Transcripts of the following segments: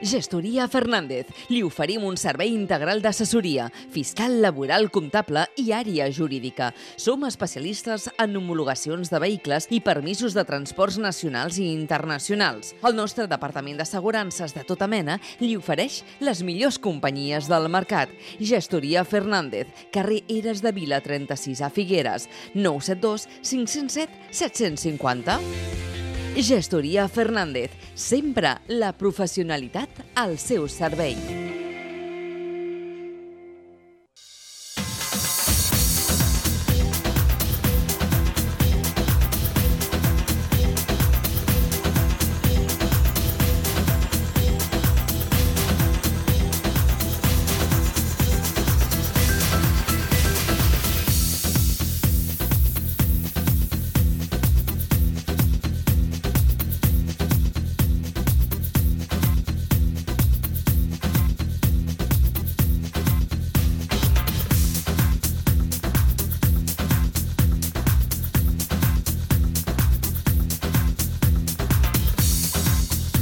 Gestoria Fernández. Li oferim un servei integral d'assessoria, fiscal, laboral, comptable i àrea jurídica. Som especialistes en homologacions de vehicles i permisos de transports nacionals i internacionals. El nostre departament d'assegurances de tota mena li ofereix les millors companyies del mercat. Gestoria Fernández, carrer Eres de Vila 36 a Figueres, 972 507 750. Gestoria Fernández, sempre la professionalitat al seu servei.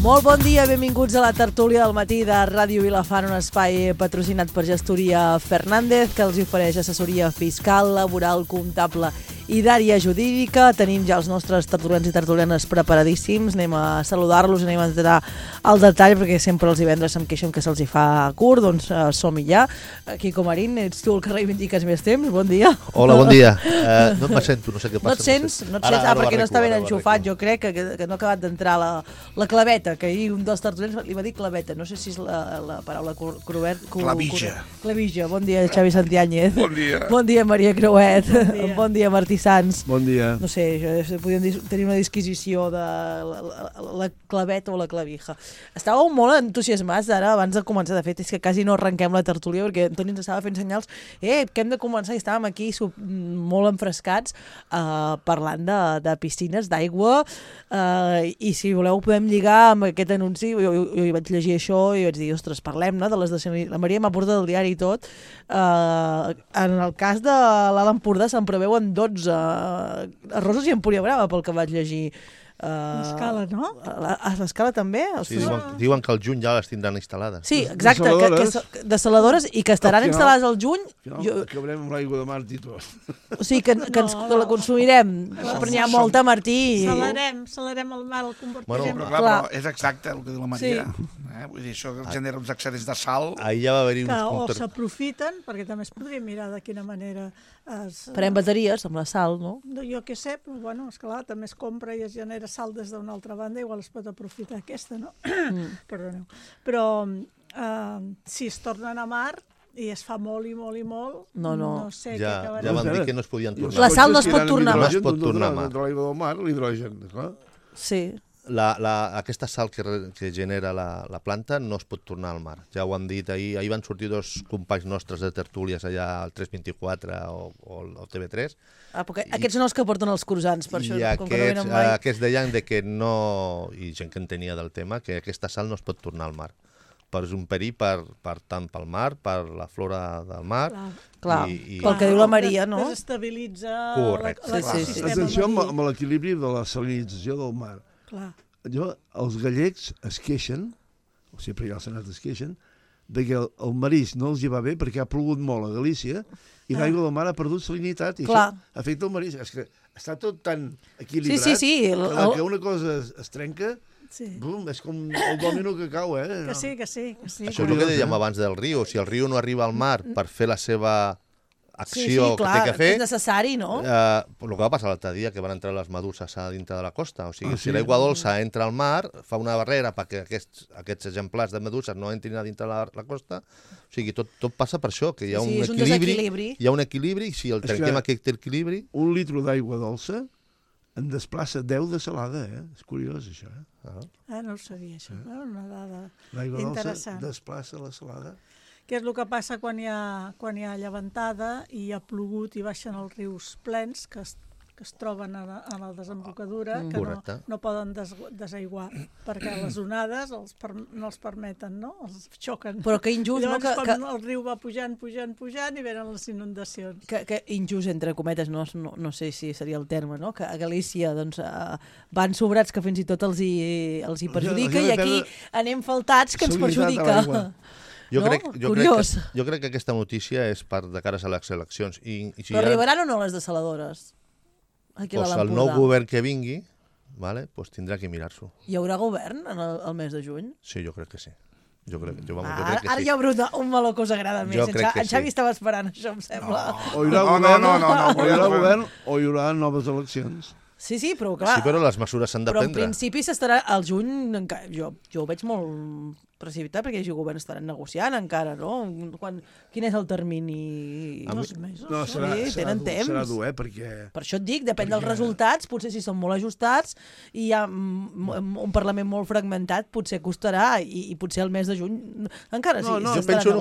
Molt bon dia, benvinguts a la tertúlia del matí de Ràdio Vilafant, un espai patrocinat per Gestoria Fernández, que els ofereix assessoria fiscal, laboral, comptable i d'àrea jurídica. Tenim ja els nostres tertulians i tertulianes preparadíssims. Anem a saludar-los, anem a entrar al detall, perquè sempre els divendres em queixen que se'ls hi fa curt, doncs som-hi ja. Quico Marín, ets tu el que reivindiques més temps, bon dia. Hola, bon dia. No me sento, no sé què passa. No et sents? Perquè no està ben enxufat, jo crec que no ha acabat d'entrar la claveta, que ahir un dels tertulians li va dir claveta, no sé si és la paraula clavija. Clavija. Bon dia, Xavi Santiáñez. Bon dia. Bon dia, Maria Creuet. Bon dia, Martí Sans. Bon dia. No sé, podríem tenir una disquisició de la claveta o la clavija. Estàveu molt entusiasmats ara, abans de començar. De fet, és que quasi no arrenquem la tertúlia, perquè Antoni ens estava fent senyals que hem de començar, i estàvem aquí molt enfrescats parlant de piscines, d'aigua, i si voleu podem lligar amb aquest anunci. Jo vaig llegir això i vaig dir, ostres, parlem-ne de les de la Maria m'ha portat el diari i tot. En el cas de l'Alt Empordà se'n preveuen 12 arrossos i Empúria Brava, pel que vaig llegir. L'Escala, no? A l'Escala també? Sí, diuen que al juny ja les tindran instal·lades. Sí, exacte, desaladores, i que estaran instal·lades al juny. Acabarem amb l'aigua de mar i tot. O sigui, que la consumirem. Però n'hi ha molta, Martí. Salarem el mar, el convertirem. Bueno, però és exacte el que diu la Maria. Vull dir, això genera uns excedents de sal. Ahir ja va haver-hi uns punts. O s'aprofiten, perquè també es podria mirar de quina manera farem bateries amb la sal, no? Jo què sé, però bueno, esclar, també es compra i es genera sal des d'una altra banda, igual es pot aprofitar aquesta, no? Perdoneu. Però si es tornen a mar i es fa molt i molt i molt, no sé què acabarà. Ja van dir que no es podien tornar. La sal no es pot tornar a mar. No es pot tornar a mar. L'aigua del mar, l'hidrogen, clar. Sí. Aquesta sal que genera la planta no es pot tornar al mar. Ja ho han dit ahir. Ahir van sortir dos companys nostres de tertúlies allà al 324 o al TV3. Aquests són els que porten els croissants, per això. I aquests deien que no, i gent que en tenia del tema, que aquesta sal no es pot tornar al mar. És un perill tant pel mar, per la flora del mar. Clar, pel que diu la Maria, no? Desestabilitza l'ecosistema. Atenció amb l'equilibri de la salinització del mar. Clar. Els gallecs es queixen, o sempre hi ha el Senat es queixen, que el marisc no els hi va bé perquè ha plogut molt a Galícia i l'aigua del mar ha perdut salinitat i això afecta el marisc. És que està tot tan equilibrat que una cosa es trenca, és com el dòmino que cau, Que sí. Això és el que dèiem abans del riu. Si el riu no arriba al mar per fer la seva acció que té que fer... és necessari, no? El que va passar l'altre dia, que van entrar les meduses a dintre de la costa. O sigui, si l'aigua dolça entra al mar, fa una barrera perquè aquests exemplars de meduses no entrin a dintre la costa. O sigui, tot passa per això, que hi ha un equilibri. Hi ha un equilibri, i si el trenquem aquest equilibri... Un litro d'aigua dolça en desplaça 10 de salada, És curiós, això, no ho sabia, això. Una dada interessant. L'aigua dolça desplaça la salada. Què és el que passa quan hi ha llevantada i ha plogut i baixen els rius plens, que que es troben a la desembocadura, que no poden desaiguar, perquè les onades no els permeten, no? Els xoquen. Però que injust, no? Llavors, quan el riu va pujant i venen les inundacions. Que injust, entre cometes, no sé si seria el terme, no? Que a Galícia van sobrats que fins i tot els hi perjudica i aquí anem faltats que ens perjudica. Jo crec que aquesta notícia és de cares a les eleccions. Però arribaran o no les desaladores? El nou govern que vingui tindrà que mirar-s'ho. Hi haurà govern el mes de juny? Sí, jo crec que sí. Ara ja un meló que us agrada més. En Xavi estava esperant això, em sembla. O hi haurà govern o hi haurà noves eleccions. Sí, però clar... Sí, però les mesures s'han de prendre. Però en principi s'estarà al juny... Jo ho veig molt precipitat perquè els governs estaran negociant encara, no? Quin és el termini? 2 mesos. No, serà dur, perquè... Per això et dic, depèn dels resultats, potser si són molt ajustats i hi ha un Parlament molt fragmentat, potser costarà i potser el mes de juny encara sí. Jo penso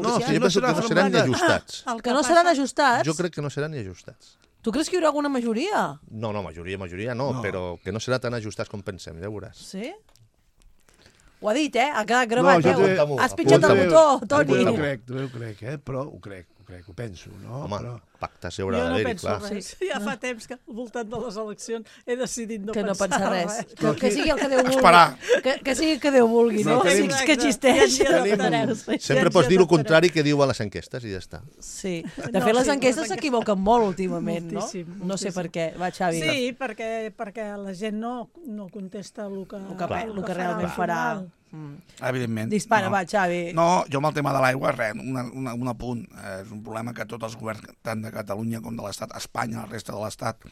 que no seran ni ajustats. Que no seran ajustats? Jo crec que no seran ni ajustats. Tu creus que hi haurà alguna majoria? No, majoria no, però que no serà tan ajustats com pensem, ja veuràs. Sí? Ho ha dit, ha quedat gravat. Has pitjat el botó, Toni. Ho crec, però ho crec, ho penso, no? Home, pactes hi haurà d'haver-hi, clar. Jo no penso res. Ja fa temps que al voltant de les eleccions he decidit no pensar res. Que sigui el que Déu vulgui. Esperar. Que sigui el que Déu vulgui, no? Que existeix. Sempre pots dir el contrari que diuen les enquestes i ja està. Sí. De fet, les enquestes s'equivoquen molt últimament, no? No sé per què. Va, Xavi. Sí, perquè la gent no contesta el que realment farà. Evidentment. Dispara, va, Xavi. No, jo amb el tema de l'aigua, res, un apunt. És un problema que tots els governs, tant de Catalunya com de l'Estat, Espanya, la resta de l'Estat,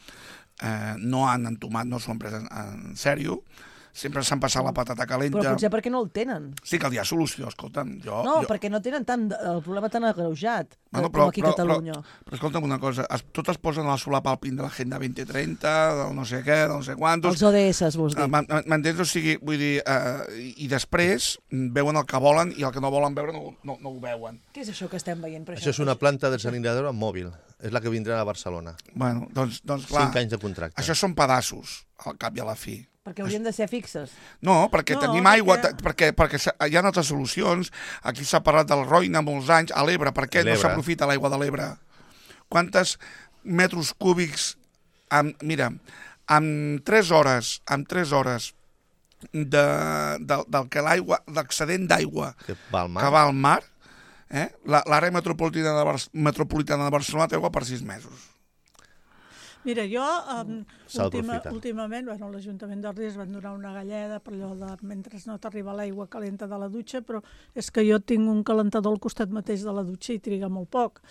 no han entomat, no s'ho han pres en sèrio. Sempre s'han passat la patata calenta. Però potser perquè no el tenen. Sí que hi ha solució, escolta'm. Perquè no tenen el problema tan agreujat com aquí a Catalunya. Però escolta'm una cosa, tot es posen a la solapalpin de l'Agenda 2030, del no sé què, del no sé quantos... Els ODS, vols dir. M'entens? O sigui, vull dir, i després veuen el que volen i el que no volen veure no ho veuen. Què és això que estem veient? Això és una planta desalinadora mòbil. És la que vindrà a Barcelona. Bueno, doncs clar... 5 anys de contracte. Això són pedaços, al cap i a la fi. Perquè haurien de ser fixes. No, perquè tenim aigua, perquè hi ha altres solucions. Aquí s'ha parlat del Roine molts anys, a l'Ebre. Per què no s'aprofita l'aigua de l'Ebre? Quantes metres cúbics... Mira, amb 3 hores l'excedent d'aigua que va al mar, l'àrea metropolitana de Barcelona té aigua per 6 mesos. Mira, jo últimament, l'Ajuntament d'Ordis van donar una galleda per allò de mentre no t'arriba l'aigua calenta de la dutxa, però és que jo tinc un calentador al costat mateix de la dutxa i triga molt poc.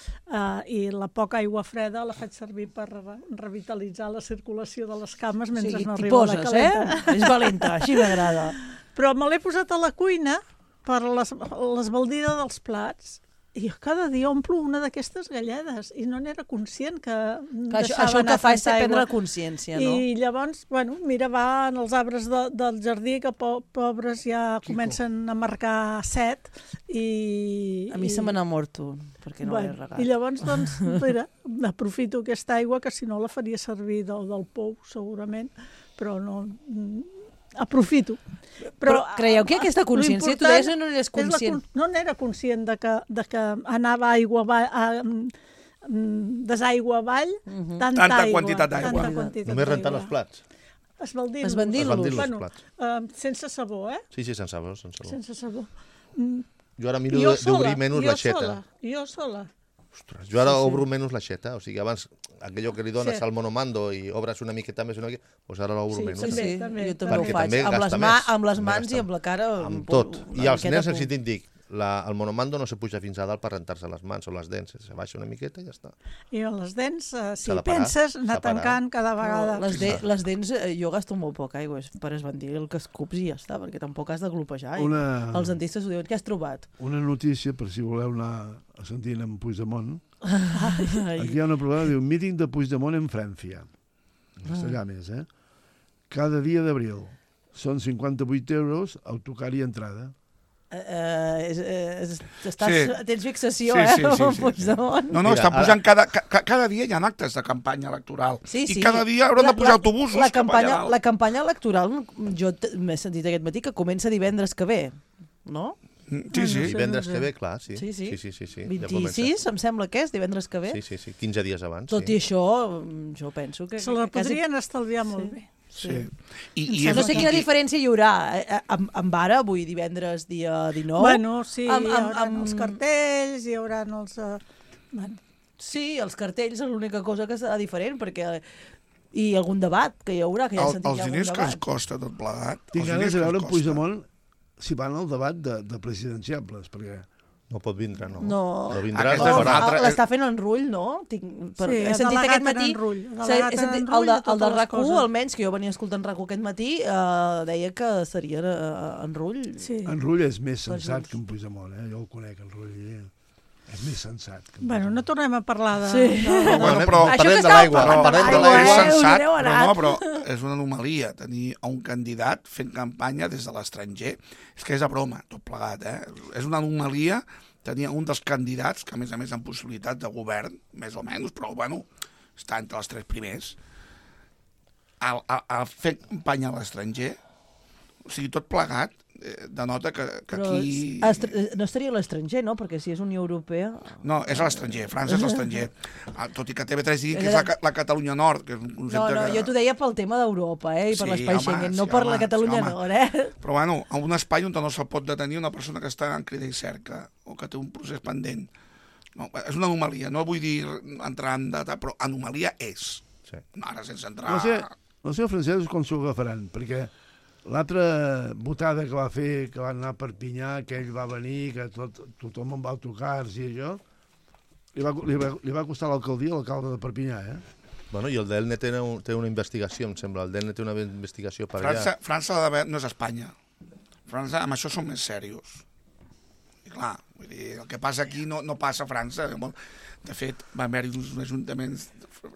I la poca aigua freda la faig servir per revitalitzar la circulació de les cames mentre no arriba la calenta. És valenta, així m'agrada. Però me l'he posat a la cuina per l'esbaldida dels plats. I jo cada dia omplo una d'aquestes galledes i no n'era conscient que això el que fa és prendre consciència, no? I llavors, mira, va en els arbres del jardí que pobres ja comencen a marcar set i... A mi se me n'ha mort un, perquè no l'he regat. I llavors, doncs, mira, aprofito aquesta aigua que si no la faria servir del pou, segurament, però no... Aprofito. Però creieu que aquesta consciència, tu deies no n'eres conscient? No n'era conscient de que anava aigua desaigua avall, tanta quantitat d'aigua. Només rentant els plats. Esbandir-los. Sense sabó, Sí, sense sabó. Sense sabó. Jo ara miro d'obrir menys l'aixeta. Jo sola. Ostres, jo ara obro menys l'aixeta, o sigui, abans aquello que li dones al monomando i obres una miqueta més, doncs ara l'obro menys. Sí, jo també ho faig, amb les mans i amb la cara. Amb tot. I als nens, si te'n dic, el monomando no se puja fins a dalt per rentar-se les mans o les dents, se baixa una miqueta i ja està. I les dents, si penses, anar tancant cada vegada. Les dents, jo gasto molt poc aigua per esbandir el que escups i ja està, perquè tampoc has de glopejar. Els dentistes ho diuen. Què has trobat? Una notícia, per si voleu anar a sentir en Puigdemont. Aquí hi ha una problema, diu, míting de Puigdemont en Francia. En castellà més, Cada dia d'abril. Són 58 euros, autocar i entrada. Tens fixació, Puigdemont. No, està pujant cada dia hi ha actes de campanya electoral. I cada dia hauran de pujar autobusos cap allà dalt. La campanya electoral, jo m'he sentit aquest matí que comença divendres que ve, no? Sí. Divendres que ve, clar, sí. Sí. 26, em sembla que és, divendres que ve. Sí, 15 dies abans. Tot i això, jo penso que... Se la podrien estalviar molt bé. Sí. No sé quina diferència hi haurà amb ara, avui divendres dia 19. Bueno, sí, hi haurà els cartells, hi haurà els... Sí, els cartells és l'única cosa que serà diferent, perquè... I algun debat que hi haurà, que ja sentit els diners que es costa tot plegat. Tinc ganes de veure Puigdemont si van al debat de presidenciables, perquè... No pot vindre, no. No vindrà, l'està fent en Rull, no? He sentit aquest matí... El de RAC1, almenys, que jo venia escoltant RAC1 aquest matí, deia que seria en Rull. En Rull és més sensat que en Puigdemont, jo el conec, en Rull. És més sensat. Bueno, no tornem a parlar de... Parlem de l'aigua. És sensat, però és una anomalia tenir un candidat fent campanya des de l'estranger. És que és a broma, tot plegat, És una anomalia tenir un dels candidats, que a més amb possibilitat de govern, més o menys, però, bueno, està entre els 3 primers, a fer campanya a l'estranger, o sigui, tot plegat, denota que aquí... No estaria a l'estranger, no? Perquè si és Unió Europea... No, és a l'estranger, França és l'estranger. Tot i que TV3 digui que és la Catalunya Nord, que és un concepte que... Jo t'ho deia pel tema d'Europa, i per l'espai Schengen, no per la Catalunya Nord, Però, bueno, en un espai on no se'l pot detenir una persona que està en crida i cerca, o que té un procés pendent. No, és una anomalia, no vull dir entrar en data, però anomalia és. Ara, sense entrar... No sé, els francesos com s'ho agafaran, perquè... L'altra votada que va fer, que va anar a Perpinyà, que ell va venir, que tothom amb autocars i això, li va costar l'alcaldia l'alcalde de Perpinyà, Bueno, i el DELNE té una investigació, em sembla. El DELNE té una investigació per allà. França no és Espanya. França, amb això són més serios. I clar, vull dir, el que passa aquí no passa a França. De fet, va haver-hi uns ajuntaments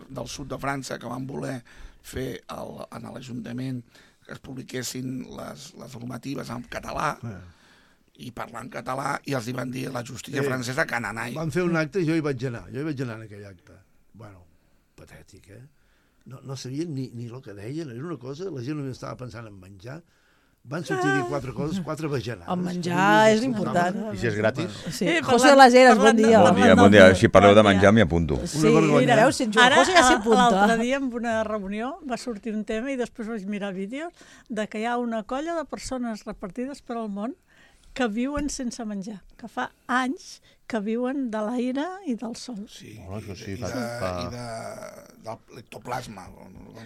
del sud de França que van voler fer en l'Ajuntament que es publiquessin les normatives en català i parlar en català, i els hi van dir la justícia francesa cananai. Van fer un acte i jo hi vaig anar en aquell acte. Bueno, patètic, No sabien ni el que deien, era una cosa, la gent només estava pensant en menjar. Van sortir a dir 4 coses, 4 bajanades. El menjar és important. I si és gratis? Sí. José de les Heras, bon dia. Bon dia. Si parleu de menjar, m'hi apunto. Sí, mira, veus, si en José ja s'hi apunta. L'altre dia, en una reunió, va sortir un tema i després vaig mirar vídeos de que hi ha una colla de persones repartides per al món que viuen sense menjar, que fa anys que viuen de l'aire i del sol. Sí, i de l'ectoplasma.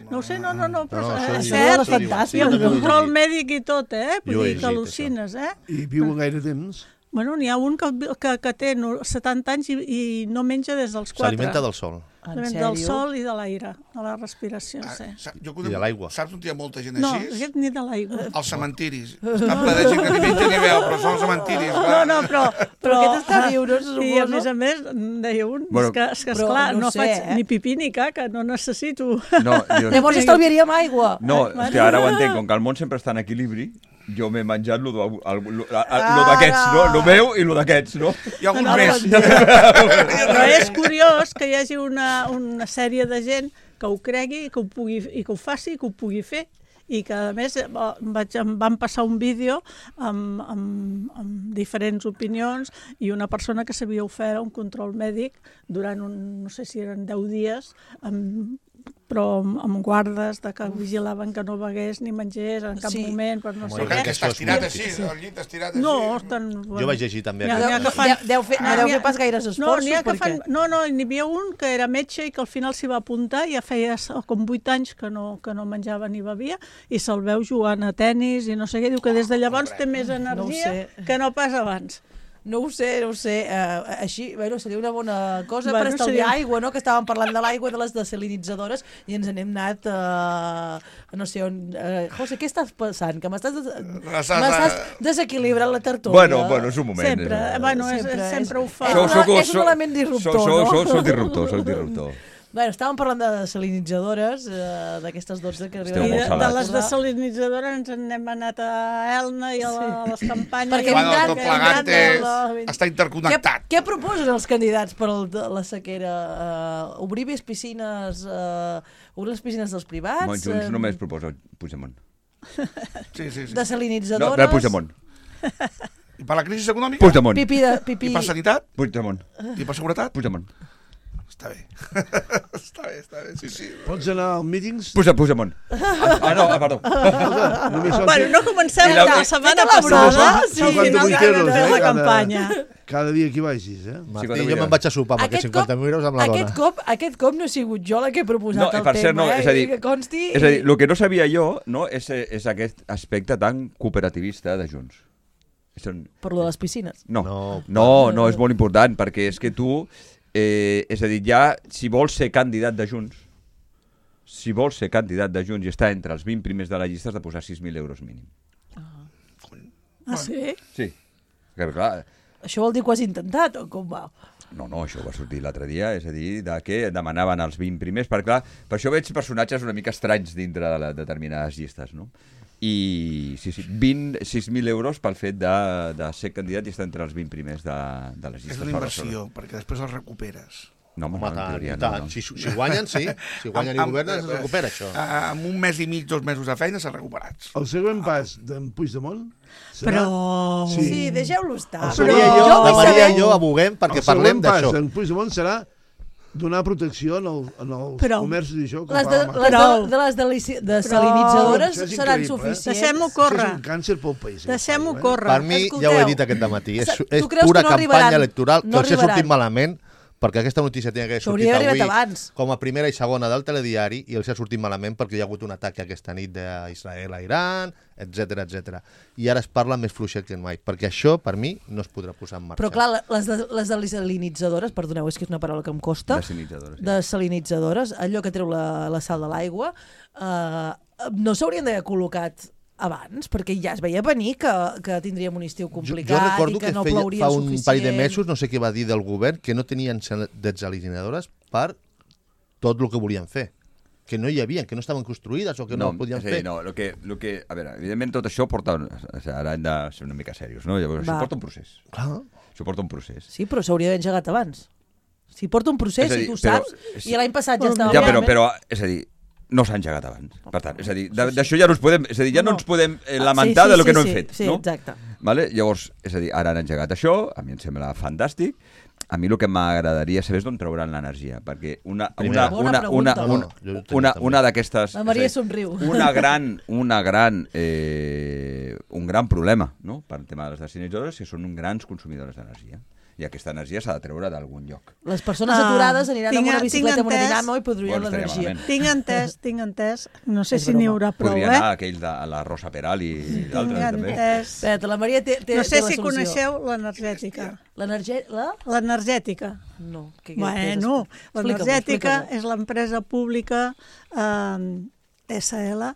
No ho sé, no, però és cert, i el control mèdic i tot, vull dir que al·lucines, I viuen gaire temps? Bueno, n'hi ha un que té 70 anys i no menja des dels 4. S'alimenta del sol. Del sol i de l'aire, de la respiració, sí. I de l'aigua. Saps on hi ha molta gent així? No, aquest ni de l'aigua. Els cementiris. Està ple de gent que ni menja ni veu, però són els cementiris. No, però aquest està viu, no? I a més, deia un, que esclar, no faig ni pipí ni caca, no necessito. Llavors estalviaríem aigua. No, ara ho entenc, com que el món sempre està en equilibri, jo m'he menjat lo d'aquests, no? Lo meu i lo d'aquests, no? Hi ha algun més. Però és curiós que hi hagi una sèrie de gent que ho cregui i que ho faci i que ho pugui fer. I que, a més, em van passar un vídeo amb diferents opinions i una persona que s'havia ofert un control mèdic durant, no sé si eren 10 dies, però amb guardes que vigilaven que no begués ni mengés en cap moment, per no sé què. Que està estirat així, el llit estirat així. No, jo vaig llegir també. Deu fer pas gaires esforços. No, n'hi havia un que era metge i que al final s'hi va apuntar, ja feia com 8 anys que no menjava ni bevia, i se'l veu jugant a tennis i no sé què, diu que des de llavors té més energia que no pas abans. No ho sé. Així, seria una bona cosa per estalviar aigua, no? Que estàvem parlant de l'aigua, de les desalinitzadores, i ens n'hem anat no sé on... José, què estàs passant? Que m'estàs desequilibrant la tertúlia. Bueno, és un moment. Sempre ho fa. És un element disruptor, no? Soc disruptor. Bueno, estàvem parlant de desalinitzadores, d'aquestes 12 que arriben. De les desalinitzadores ens n'hem anat a Elna i a les campanyes. Perquè tot plegat està interconnectat. Què proposen els candidats per la sequera? Obrir les piscines dels privats? Junts només proposa Puigdemont. Sí. Desalinitzadores? No, Puigdemont. I per la crisi econòmica? Puigdemont. Pipí. I per sanitat? Puigdemont. I per seguretat? Puigdemont. Està bé. Està bé, sí. Pots anar als mítings? Puigdemont. No, perdó. Bueno, no comencem la setmana passada, sí, finalment la campanya. Cada dia que vagis, Martí, jo me'n vaig a sopar amb aquests 50.000 euros amb la dona. Aquest cop no he sigut jo la que he proposat el tema, és a dir, que consti... És a dir, el que no sabia jo és aquest aspecte tan cooperativista de Junts. Per lo de les piscines? No, és molt important, perquè és que tu... és a dir, ja, si vols ser candidat de Junts, i estar entre els 20 primers de la llista, has de posar 6.000 euros mínim. Ah, sí? Sí. Clar, això vol dir que ho has intentat, o com va? No, això va sortir l'altre dia, és a dir, que demanaven els 20 primers, perquè clar, per això veig personatges una mica estranys dintre de determinades llistes, no? I sí, 6.000 euros pel fet de ser candidat i estar entre els 20 primers de les llistes. És una inversió, perquè després els recuperes. No, tant. Si guanyen, sí. Si guanyen i governen, es recupera això. En un mes i mig, 2 mesos de feina, s'han recuperats. El següent pas d'en Puigdemont serà... Però... Sí, deixeu-lo estar. La Maria i jo aboguem perquè parlem d'això. El següent pas d'en Puigdemont serà donar protecció en els comerços i això. Les desalinitzadores seran suficients. Deixem-ho córrer. És un càncer pel país. Deixem-ho córrer. Per mi, ja ho he dit aquest dematí, és pura campanya electoral que els ha sortit malament, perquè aquesta notícia tenia que haver sortit avui com a primera i segona del telediari i els ha sortit malament perquè hi ha hagut un atac aquesta nit d'Israel a Iran, etc. I ara es parla més fluixet que mai, perquè això, per mi, no es podrà posar en marxa. Però clar, les desalinitzadores, perdoneu, és que és una paraula que em costa, desalinitzadores, allò que treu la sal de l'aigua, no s'haurien d'haver col·locat abans, perquè ja es veia venir que tindríem un estiu complicat i que no plauria fa suficient. Un parell de mesos, no sé què va dir del govern, que no tenien desalinadores per tot el que volien fer. Que no hi havia, que no estaven construïdes o que no podien fer. No, a veure, evidentment tot això porta... Ara hem de ser una mica serios, no? Llavors, això porta un procés. Clar. Això porta un procés. Sí, però s'hauria d'haver engegat abans. Si porta un procés, si tu saps, i l'any passat ja estava... Ja, però, és a dir, no s'ha engegat abans. Per tant, és a dir, d'això ja no ens podem... És a dir, ja no ens podem lamentar de lo que no hem fet, no? Sí, exacte. Vale? Llavors, és a dir, ara han engegat això, a mi em sembla fantàstic. A mi el que m'agradaria saber és d'on trauran l'energia, perquè una d'aquestes... La Maria somriu. Un gran problema, no?, per tema de les desalinitzadores, que són grans consumidores d'energia. I aquesta energia s'ha de treure d'algun lloc. Les persones aturades aniran amb una bicicleta amb una dinamo i produiran l'energia. Tinc entès, no sé si n'hi haurà prou, Podria anar aquell de la Rosa Peral i d'altres també. Espera, la Maria té no sé si coneixeu l'energètica. L'energètica? No. Bueno, l'energètica és l'empresa pública SL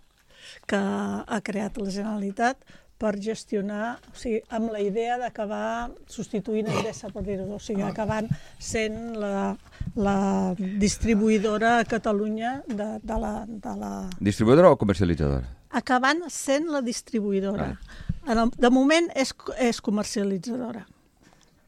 que ha creat la Generalitat per gestionar, o sigui, amb la idea d'acabar substituint Endesa, per dir-ho, o sigui, acabant sent la distribuïdora a Catalunya de la... Distribuïdora o comercialitzadora? Acabant sent la distribuïdora. De moment és comercialitzadora.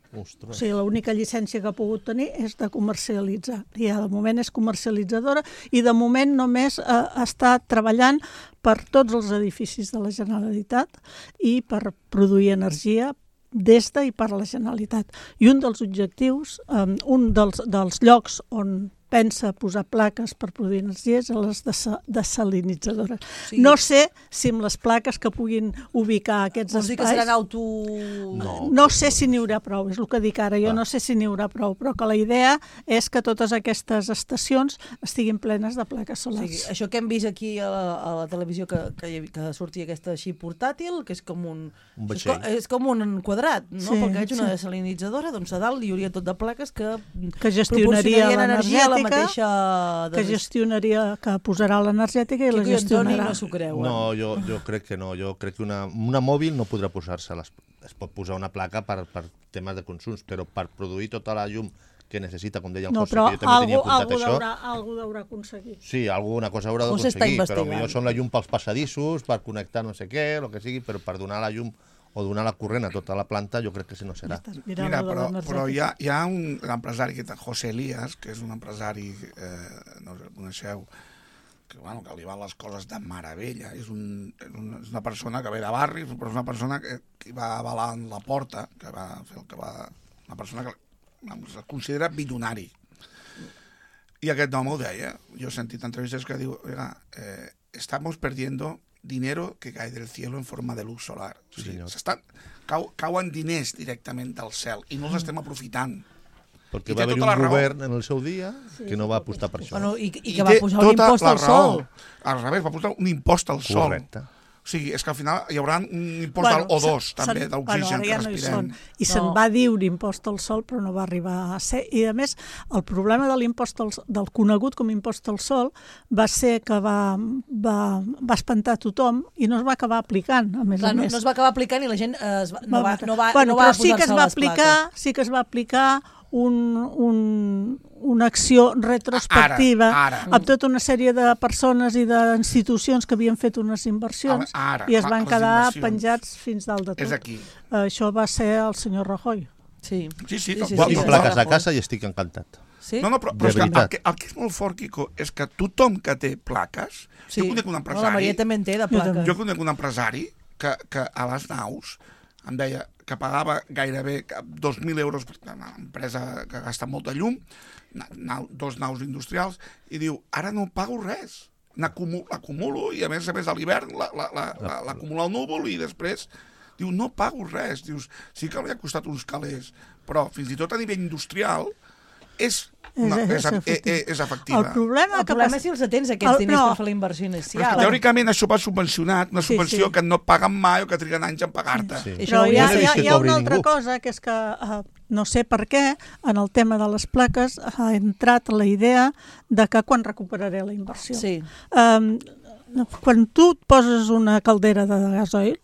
Ostres. O sigui, l'única llicència que ha pogut tenir és de comercialitzar. I de moment és comercialitzadora i de moment només està treballant per tots els edificis de la Generalitat i per produir energia des de i per la Generalitat. I un dels objectius, un dels llocs on pensa posar plaques per produir energia és a les desalinitzadores. Sí. No sé si amb les plaques que puguin ubicar aquests espais... Vols dir que seran No sé si n'hi haurà prou, és el que dic ara. Jo no sé si n'hi haurà prou, però que la idea és que totes aquestes estacions estiguin plenes de plaques solars. Sí, això que hem vist aquí a la televisió que sortia aquesta així portàtil, que és com un és com un quadrat, no? Sí, perquè és una desalinitzadora, doncs a dalt hi hauria tot de plaques que gestionaria l'energia la mateixa... Que gestionaria, que posarà l'energètica i la gestionarà. No s'ho creu. No, jo crec que no. Jo crec que una mòbil no podrà posar-se. Es pot posar una placa per temes de consums, però per produir tota la llum que necessita, com deia el No, José, però que jo també tenia apuntat això. algú deurà aconseguir. Sí, alguna cosa haurà O s'està d'aconseguir, però investigant. millor són la llum pels passadissos, per connectar no sé què, el que sigui, però per donar la llum o donar la corrent a tota la planta, jo crec que si no serà. Mira, però hi ha un empresari, que José Elías, que és un empresari, no sé, coneixeu, que li van les coses de meravella. És una persona que ve de barri, però és una persona que va avalar en la porta, que va fer el que va... Una persona que es considera bilionari. I aquest home ho deia. Jo he sentit entrevistes que diu, estamos perdiendo dinero que cae del cielo en forma de luz solar. Sí, cauen diners directament del cel i no els estem aprofitant. Perquè va haver-hi un govern en el seu dia que no va apostar per això. Bueno, i que va posar un impost al sol. Al revés, va posar un impost al sol. Correcte. O sigui, és que al final hi haurà un impost al O2, també, d'oxigen que respirem. I se'n va dir un impost al sol, però no va arribar a ser. I, a més, el problema de l'impost del conegut com impost al sol va ser que va espantar tothom i no es va acabar aplicant, a més a més. No es va acabar aplicant i la gent no va però sí que posar-se a les plaques. sí que es va aplicar una acció retrospectiva amb tota una sèrie de persones i d'institucions que havien fet unes inversions i es van quedar penjats fins dalt de tot. És aquí. Això va ser el senyor Rajoy. Sí. Tinc plaques a casa i estic encantat. Sí? No, però és que el que és molt fort, Quico, és que tothom que té plaques... Sí. Jo conec un empresari... La Maria també en té, de plaques. Jo conec un empresari que a les naus em deia que pagava gairebé 2.000 euros per una empresa que gasta molta llum, 2 naus industrials, i diu, ara no pago res, l'acumulo i a més a l'hivern l'acumulo al núvol i després diu, no pago res, dius, sí que li ha costat uns calés, però fins i tot a nivell industrial és efectiva. El problema és si els atens aquests diners per fer la inversió inicial. Però teòricament això va subvencionat, una subvenció que no paguen mai o que triguen anys en pagar-te. Però hi ha una altra cosa, que és que no sé per què, en el tema de les plaques ha entrat la idea de que quan recuperaré la inversió. Sí. Quan tu et poses una caldera de gasoil,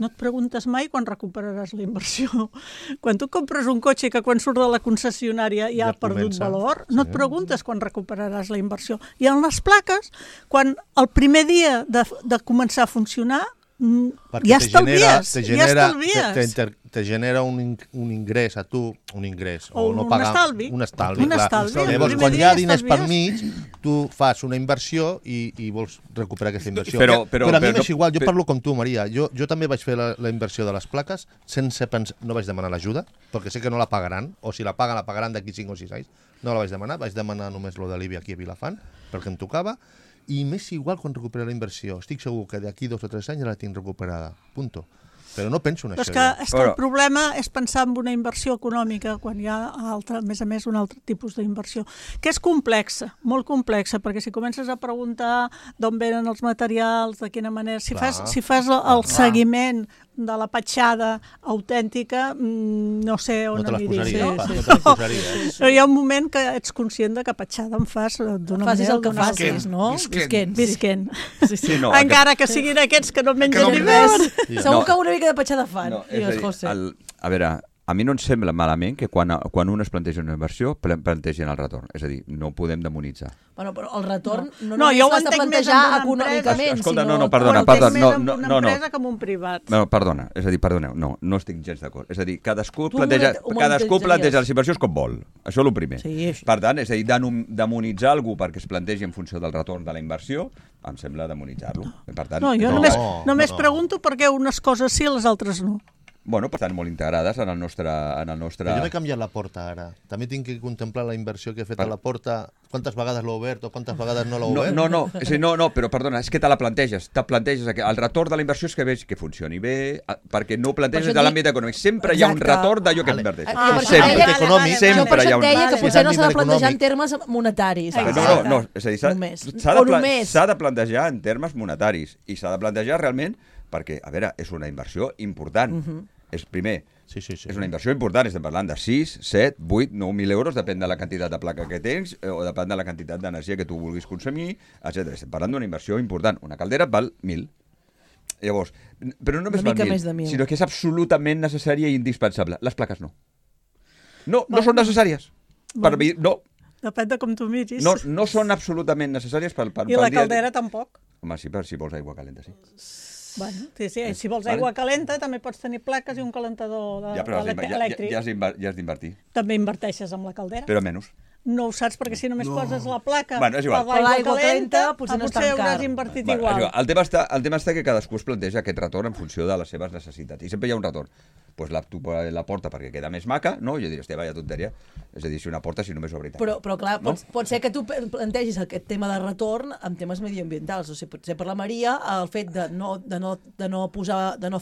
no et preguntes mai quan recuperaràs la inversió. Quan tu compres un cotxe que quan surt de la concessionària ja ha perdut valor, no et preguntes quan recuperaràs la inversió. I en les plaques, quan el primer dia de començar a funcionar, ja estalvies. Te genera un ingrés a tu, un ingrés, o no un pagar, estalvi. un estalvi. Llavors, quan hi ha diners per mig, tu fas una inversió i vols recuperar aquesta inversió. Però a mi m'és igual, jo parlo com tu, Maria. Jo també vaig fer la inversió de les plaques sense pensar, no vaig demanar l'ajuda, perquè sé que no la pagaran, o si la pagaran d'aquí 5 o 6 anys. No la vaig demanar només lo de l'IBI aquí a Vilafant, perquè em tocava, i m'és igual quan recupero la inversió. Estic segur que d'aquí 2 o 3 anys ja la tinc recuperada. Punto. Però no penso en això. És que el problema és pensar en una inversió econòmica quan hi ha, a més a més, un altre tipus d'inversió, que és complexa, molt complexa, perquè si comences a preguntar d'on venen els materials, de quina manera... Si fas el seguiment de la petjada autèntica, no sé on aniria. Però hi ha un moment que ets conscient que petjada en fas d'una manera... Facis el que facis, no? Visquent. Encara que siguin aquests que no mengen ni res. Segur que una mica de petjada fan. A veure, a mi no em sembla malament que quan un es planteja una inversió plantegin el retorn. És a dir, no podem demonitzar. Bueno, però el retorn no l'has de plantejar econòmicament. Escolta, perdona. Una empresa com un privat. No, perdona, és a dir, perdoneu, no estic gens d'acord. És a dir, cadascú planteja les inversions com vol. Això és el primer. Per tant, és a dir, demonitzar algú perquè es plantegi en funció del retorn de la inversió, em sembla demonitzar-lo. No, jo només pregunto per què unes coses sí i les altres no. Bueno, estan molt integrades en el nostre... Jo m'he canviat la porta ara. També tinc que contemplar la inversió que he fet a la porta. Quantes vegades l'he obert o quantes vegades no l'he obert? No, però perdona, és que te la planteges. El retorn de la inversió és que veig que funcioni bé, perquè no ho planteges de l'àmbit econòmic. Sempre hi ha un retorn d'allò que inverteixes. Sempre hi ha un... deia que potser no s'ha de plantejar en termes monetaris. No, és a dir, s'ha de plantejar en termes monetaris i s'ha de plantejar realment perquè, a veure, és una inversió important. És primer, és una inversió important, estem parlant de 6, 7, 8, 9.000 euros, depèn de la quantitat de placa que tens o depèn de la quantitat d'energia que tu vulguis consumir, etc. Estem parlant d'una inversió important. Una caldera val 1.000. Llavors, però no només val 1.000, sinó que és absolutament necessària i indispensable. Les plaques no. No són necessàries. Per mi, no. Depèn de com tu miris. No són absolutament necessàries per I la caldera tampoc. Home, sí, si vols aigua calenta, sí. Bueno, sí, si vols aigua calenta també pots tenir plaques i un calentador elèctric. Ja has d'invertir. També inverteixes amb la caldera. Però menys. No ho saps, perquè si només poses la placa és igual. per l'aigua calenta, potser hauràs invertit igual. El tema està que cadascú es planteja aquest retorn en funció de les seves necessitats. I sempre hi ha un retorn. Pues tu la porta perquè queda més maca, no? Jo diria, hòstia, vaya tonteria. És a dir, si una porta, si només ho veritat. Però clar, pot ser que tu plantegis aquest tema de retorn amb temes medioambientals. O sigui, potser per la Maria, el fet de no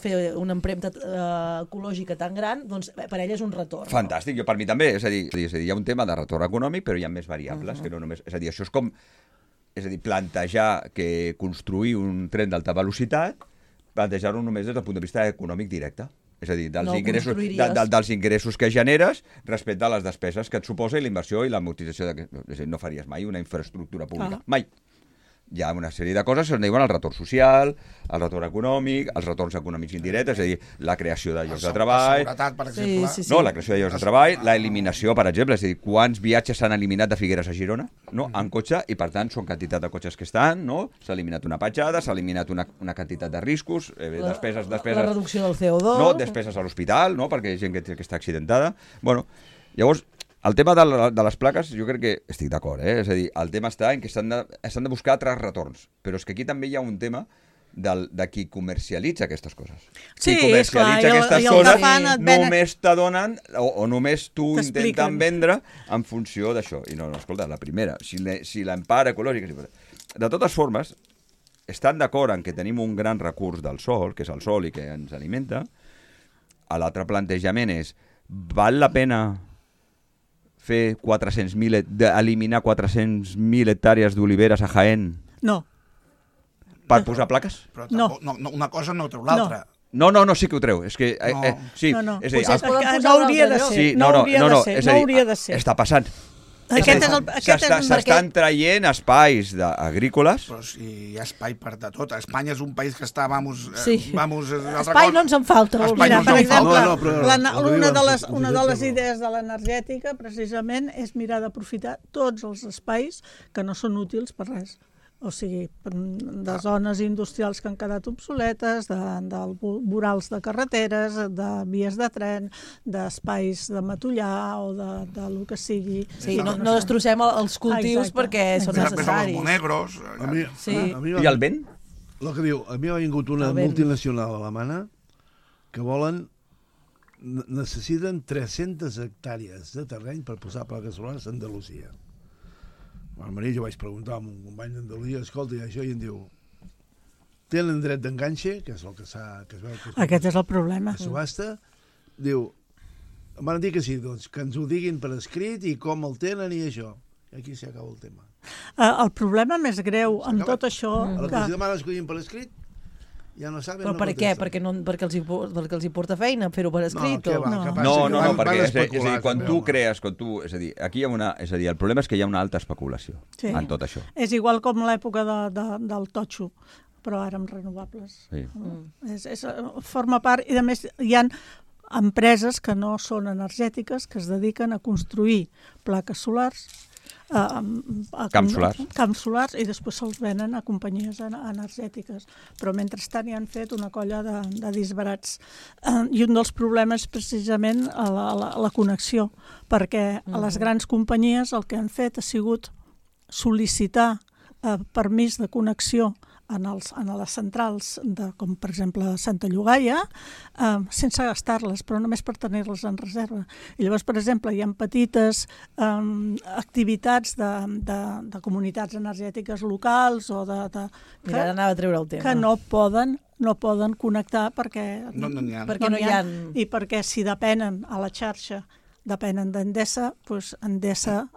fer una empremta ecològica tan gran, doncs per ella és un retorn. Fantàstic, jo per mi també. És a dir, hi ha un tema de retorn econòmic, però hi ha més variables que no només... És a dir, això és com... És a dir, plantejar que construir un tren d'alta velocitat, plantejar-ho només des del punt de vista econòmic directe. És a dir, dels ingressos que generes respecte a les despeses que et suposa i la inversió i l'amortització. És a dir, no faries mai una infraestructura pública. Mai. Hi ha una sèrie de coses que es diuen el retorn social, el retorn econòmic, els retorns econòmics indirectes, és a dir, la creació de llocs de treball... La seguretat, per exemple. No, la creació de llocs de treball, l'eliminació, per exemple, és a dir, quants viatges s'han eliminat de Figueres a Girona, no? En cotxe, i per tant són quantitat de cotxes que estan, no? S'ha eliminat una petjada, s'ha eliminat una quantitat de riscos, despeses... La reducció del CO2... No, despeses a l'hospital, no? Perquè hi ha gent que està accidentada. Bueno, llavors... El tema de les plaques, jo crec que estic d'acord, És a dir, el tema està en que s'han de buscar altres retorns. Però és que aquí també hi ha un tema de qui comercialitza aquestes coses. Sí, qui comercialitza aquestes coses només t'adonen o només tu intenten vendre en funció d'això. I no, escolta, la primera, si l'empara ecològica... De totes formes, estan d'acord en que tenim un gran recurs del sol, que és el sol i que ens alimenta. L'altre plantejament és, val la pena fer eliminar 400.000 hectàrees d'oliveres a Jaén? No. Per posar plaques? Però una cosa no treu l'altra. No, sí que ho treu. És que... sí, no. És a dir, no hauria de ser. No hauria de ser. Està passant. S'estan traient espais agrícoles. Però si hi ha espai per de tot. Espanya és un país que està, espai no ens en falta. Mira, per exemple, una de les idees de l'energètica, precisament, és mirar d'aprofitar tots els espais que no són útils per res. O sigui, de zones industrials que han quedat obsoletes, de vorals de carreteres, de vies de tren, d'espais de matollar o de lo que sigui. Sí, no destrossem els cultius perquè són necessaris. Els monegros. I el vent? El que diu, a mi ha vingut una multinacional alemana que necessiten 300 hectàrees de terreny per posar plaques solars a Andalusia. A Maria jo vaig preguntar a un company d'Andalusia, escolta, i això, i em diu, tenen dret d'enganxe, que és el que es veu... Aquest és el problema. A subhasta, diu, em van dir que sí, doncs, que ens ho diguin per escrit i com el tenen i això. I aquí s'acaba el tema. El problema més greu amb tot això... A la que els demanes que ho diguin per escrit, ja no saben... Però per què? Perquè els hi porta feina fer-ho per escrit? No, perquè és a dir, quan tu crees, és a dir, aquí hi ha el problema és que hi ha una alta especulació en tot això. És igual com l'època del totxo, però ara amb renovables. Forma part, i a més hi ha empreses que no són energètiques que es dediquen a construir plaques solars, camps solars, i després se'ls venen a companyies energètiques. Però mentrestant hi han fet una colla de disbarats. I un dels problemes és precisament la connexió, perquè les grans companyies el que han fet ha sigut sol·licitar permís de connexió a les centrals, com per exemple Santa Llogaia, sense gastar-les, però només per tenir-les en reserva. I llavors, per exemple, hi ha petites activitats de comunitats energètiques locals o Mira, anava a treure el tema. Que no poden connectar perquè no hi ha. I perquè si depenen a la xarxa, depenen d'Endesa, doncs Endesa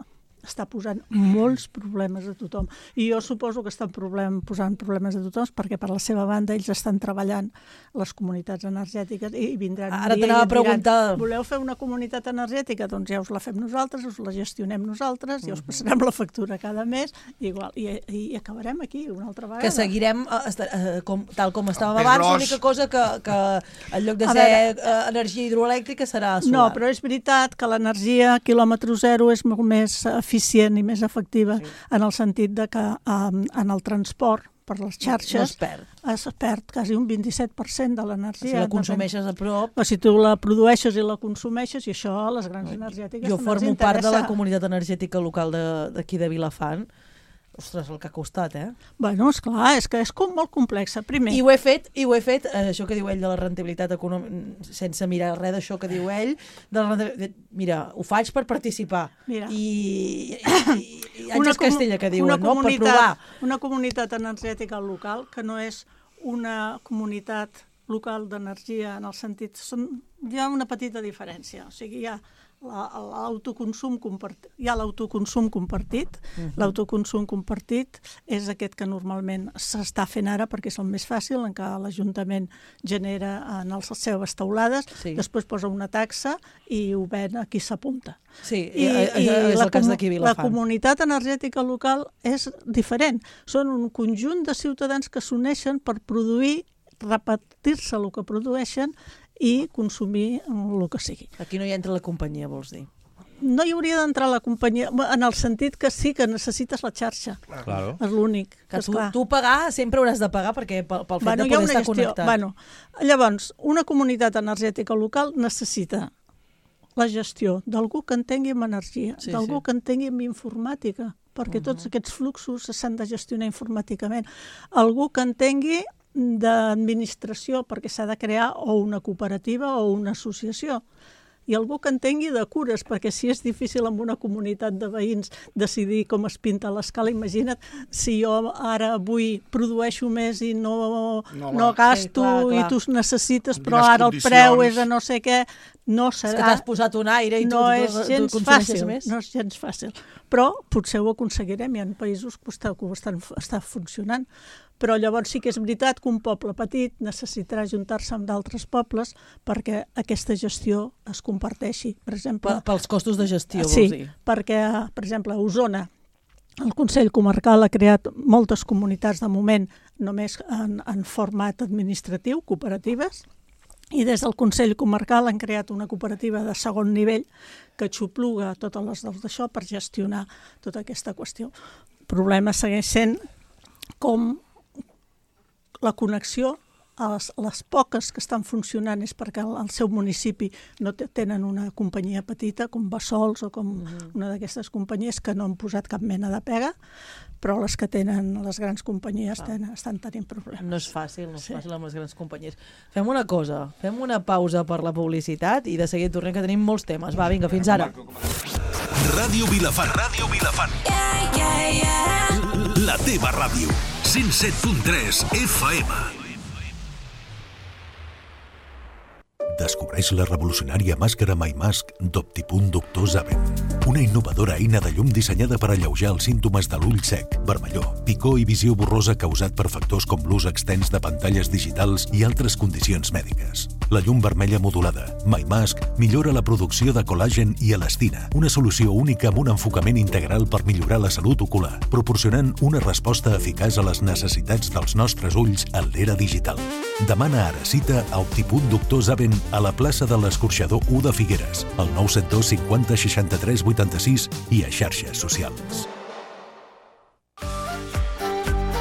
està posant molts problemes a tothom. I jo suposo que estan posant problemes a tothom perquè per la seva banda ells estan treballant les comunitats energètiques i vindran... Ara t'anava a preguntar... Voleu fer una comunitat energètica? Doncs ja us la fem nosaltres, us la gestionem nosaltres, ja us passarem la factura cada mes i acabarem aquí una altra vegada. Que seguirem tal com estàvem abans, l'única cosa que en lloc de ser energia hidroelèctrica serà solar. No, però és veritat que l'energia quilòmetre zero és molt més eficient i més efectiva en el sentit de que en el transport per les xarxes es perd quasi un 27% de l'energia. Si la consumeixes a prop... O si tu la produeixes i la consumeixes, i això a les grans energètiques jo formo part de la comunitat energètica local d'aquí de Vilafant. Ostres, el que ha costat, Bueno, esclar, és que és molt complexa. Primer... I ho he fet, això que diu ell de la rendibilitat econòmica, sense mirar res d'això que diu ell, mira, ho faig per participar. Mira. I Àngels Castella, que diuen, no? Per provar. Una comunitat energètica local, que no és una comunitat local d'energia en el sentit... Hi ha una petita diferència. O sigui, hi ha l'autoconsum compartit. Hi ha l'autoconsum compartit. L'autoconsum compartit és aquest que normalment s'està fent ara perquè és el més fàcil, en què l'Ajuntament genera en les seves teulades, després posa una taxa i ho ven a qui s'apunta. Sí, és el cas d'aquí Vilafant. La comunitat energètica local és diferent. Són un conjunt de ciutadans que s'uneixen per produir, repetir-se el que produeixen i consumir el que sigui. Aquí no hi entra la companyia, vols dir? No hi hauria d'entrar la companyia, en el sentit que sí que necessites la xarxa. Claro. És l'únic. Tu pagar sempre hauràs de pagar perquè pel fet de poder estar connectat. Llavors, una comunitat energètica local necessita la gestió d'algú que entengui en energia, d'algú que entengui en informàtica, perquè tots aquests fluxos s'han de gestionar informàticament. Algú que entengui d'administració, perquè s'ha de crear o una cooperativa o una associació. I algú que entengui de cures, perquè si és difícil en una comunitat de veïns decidir com es pinta l'escala, imagina't si jo ara avui produeixo més i no gasto i tu necessites, però ara el preu és a no sé què, no serà... És que t'has posat un aire i tu consumeixes més. No és gens fàcil, però potser ho aconseguirem. Hi ha països que ho estan funcionant. Però llavors sí que és veritat que un poble petit necessitarà ajuntar-se amb d'altres pobles perquè aquesta gestió es comparteixi. Per exemple, pels costos de gestió, vols dir? Sí, perquè, per exemple, a Osona, el Consell Comarcal ha creat moltes comunitats de moment només en format administratiu, cooperatives, i des del Consell Comarcal han creat una cooperativa de segon nivell que xupluga totes les d'això per gestionar tota aquesta qüestió. El problema segueix sent com la connexió a les poques que estan funcionant és perquè al seu municipi no tenen una companyia petita com Bassols o com una d'aquestes companyies que no han posat cap mena de pega, però les que tenen les grans companyies estan tenint problemes. No és fàcil amb les grans companyies. Fem una cosa, fem una pausa per la publicitat i de seguida tornem, que tenim molts temes. Va, vinga, fins ara. Ràdio Vilafant. La teva ràdio. 107.3 FM. Descobreix la revolucionària màscara MyMask d'Optipunt Doctor Zaven. Una innovadora eina de llum dissenyada per alleujar els símptomes de l'ull sec, vermellor, picor i visió borrosa causat per factors com l'ús extens de pantalles digitals i altres condicions mèdiques. La llum vermella modulada, MyMask, millora la producció de col·làgen i elastina, una solució única amb un enfocament integral per millorar la salut ocular, proporcionant una resposta eficaç a les necessitats dels nostres ulls en l'era digital. Demana ara cita a Optipunt Doctor Zaven a la plaça de l'Escorxador 1 de Figueres, al 972 50 63 86 i a xarxes socials.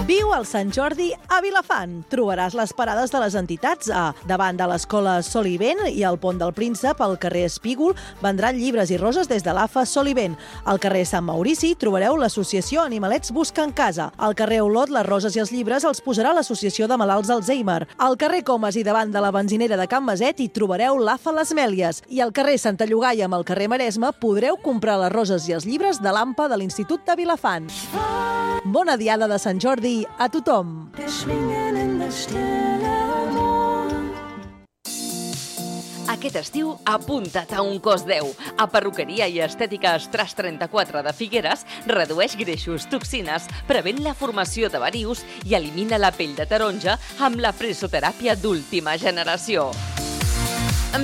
Viu el Sant Jordi a Vilafant. Trobaràs les parades de les entitats a davant de l'escola Solivent i al Pont del Príncep, al carrer Espígol, vendran llibres i roses des de l'AFA Solivent. Al carrer Sant Maurici trobareu l'associació Animalets Busquen Casa. Al carrer Olot, les roses i els llibres els posarà l'associació de malalts Alzheimer. Al carrer Comas i davant de la benzinera de Can Maset hi trobareu l'AFA Les Mèlies. I al carrer Santa Llogaia, amb el carrer Maresme, podreu comprar les roses i els llibres de l'AMPA de l'Institut de Vilafant. Bona diada de Sant Jordi a tothom. Aquest estiu, apunta't a un cos 10. A Perruqueria i Estètica Estras 34 de Figueres redueix greixos, toxines, prevent la formació de varius i elimina la pell de taronja amb la presoteràpia d'última generació.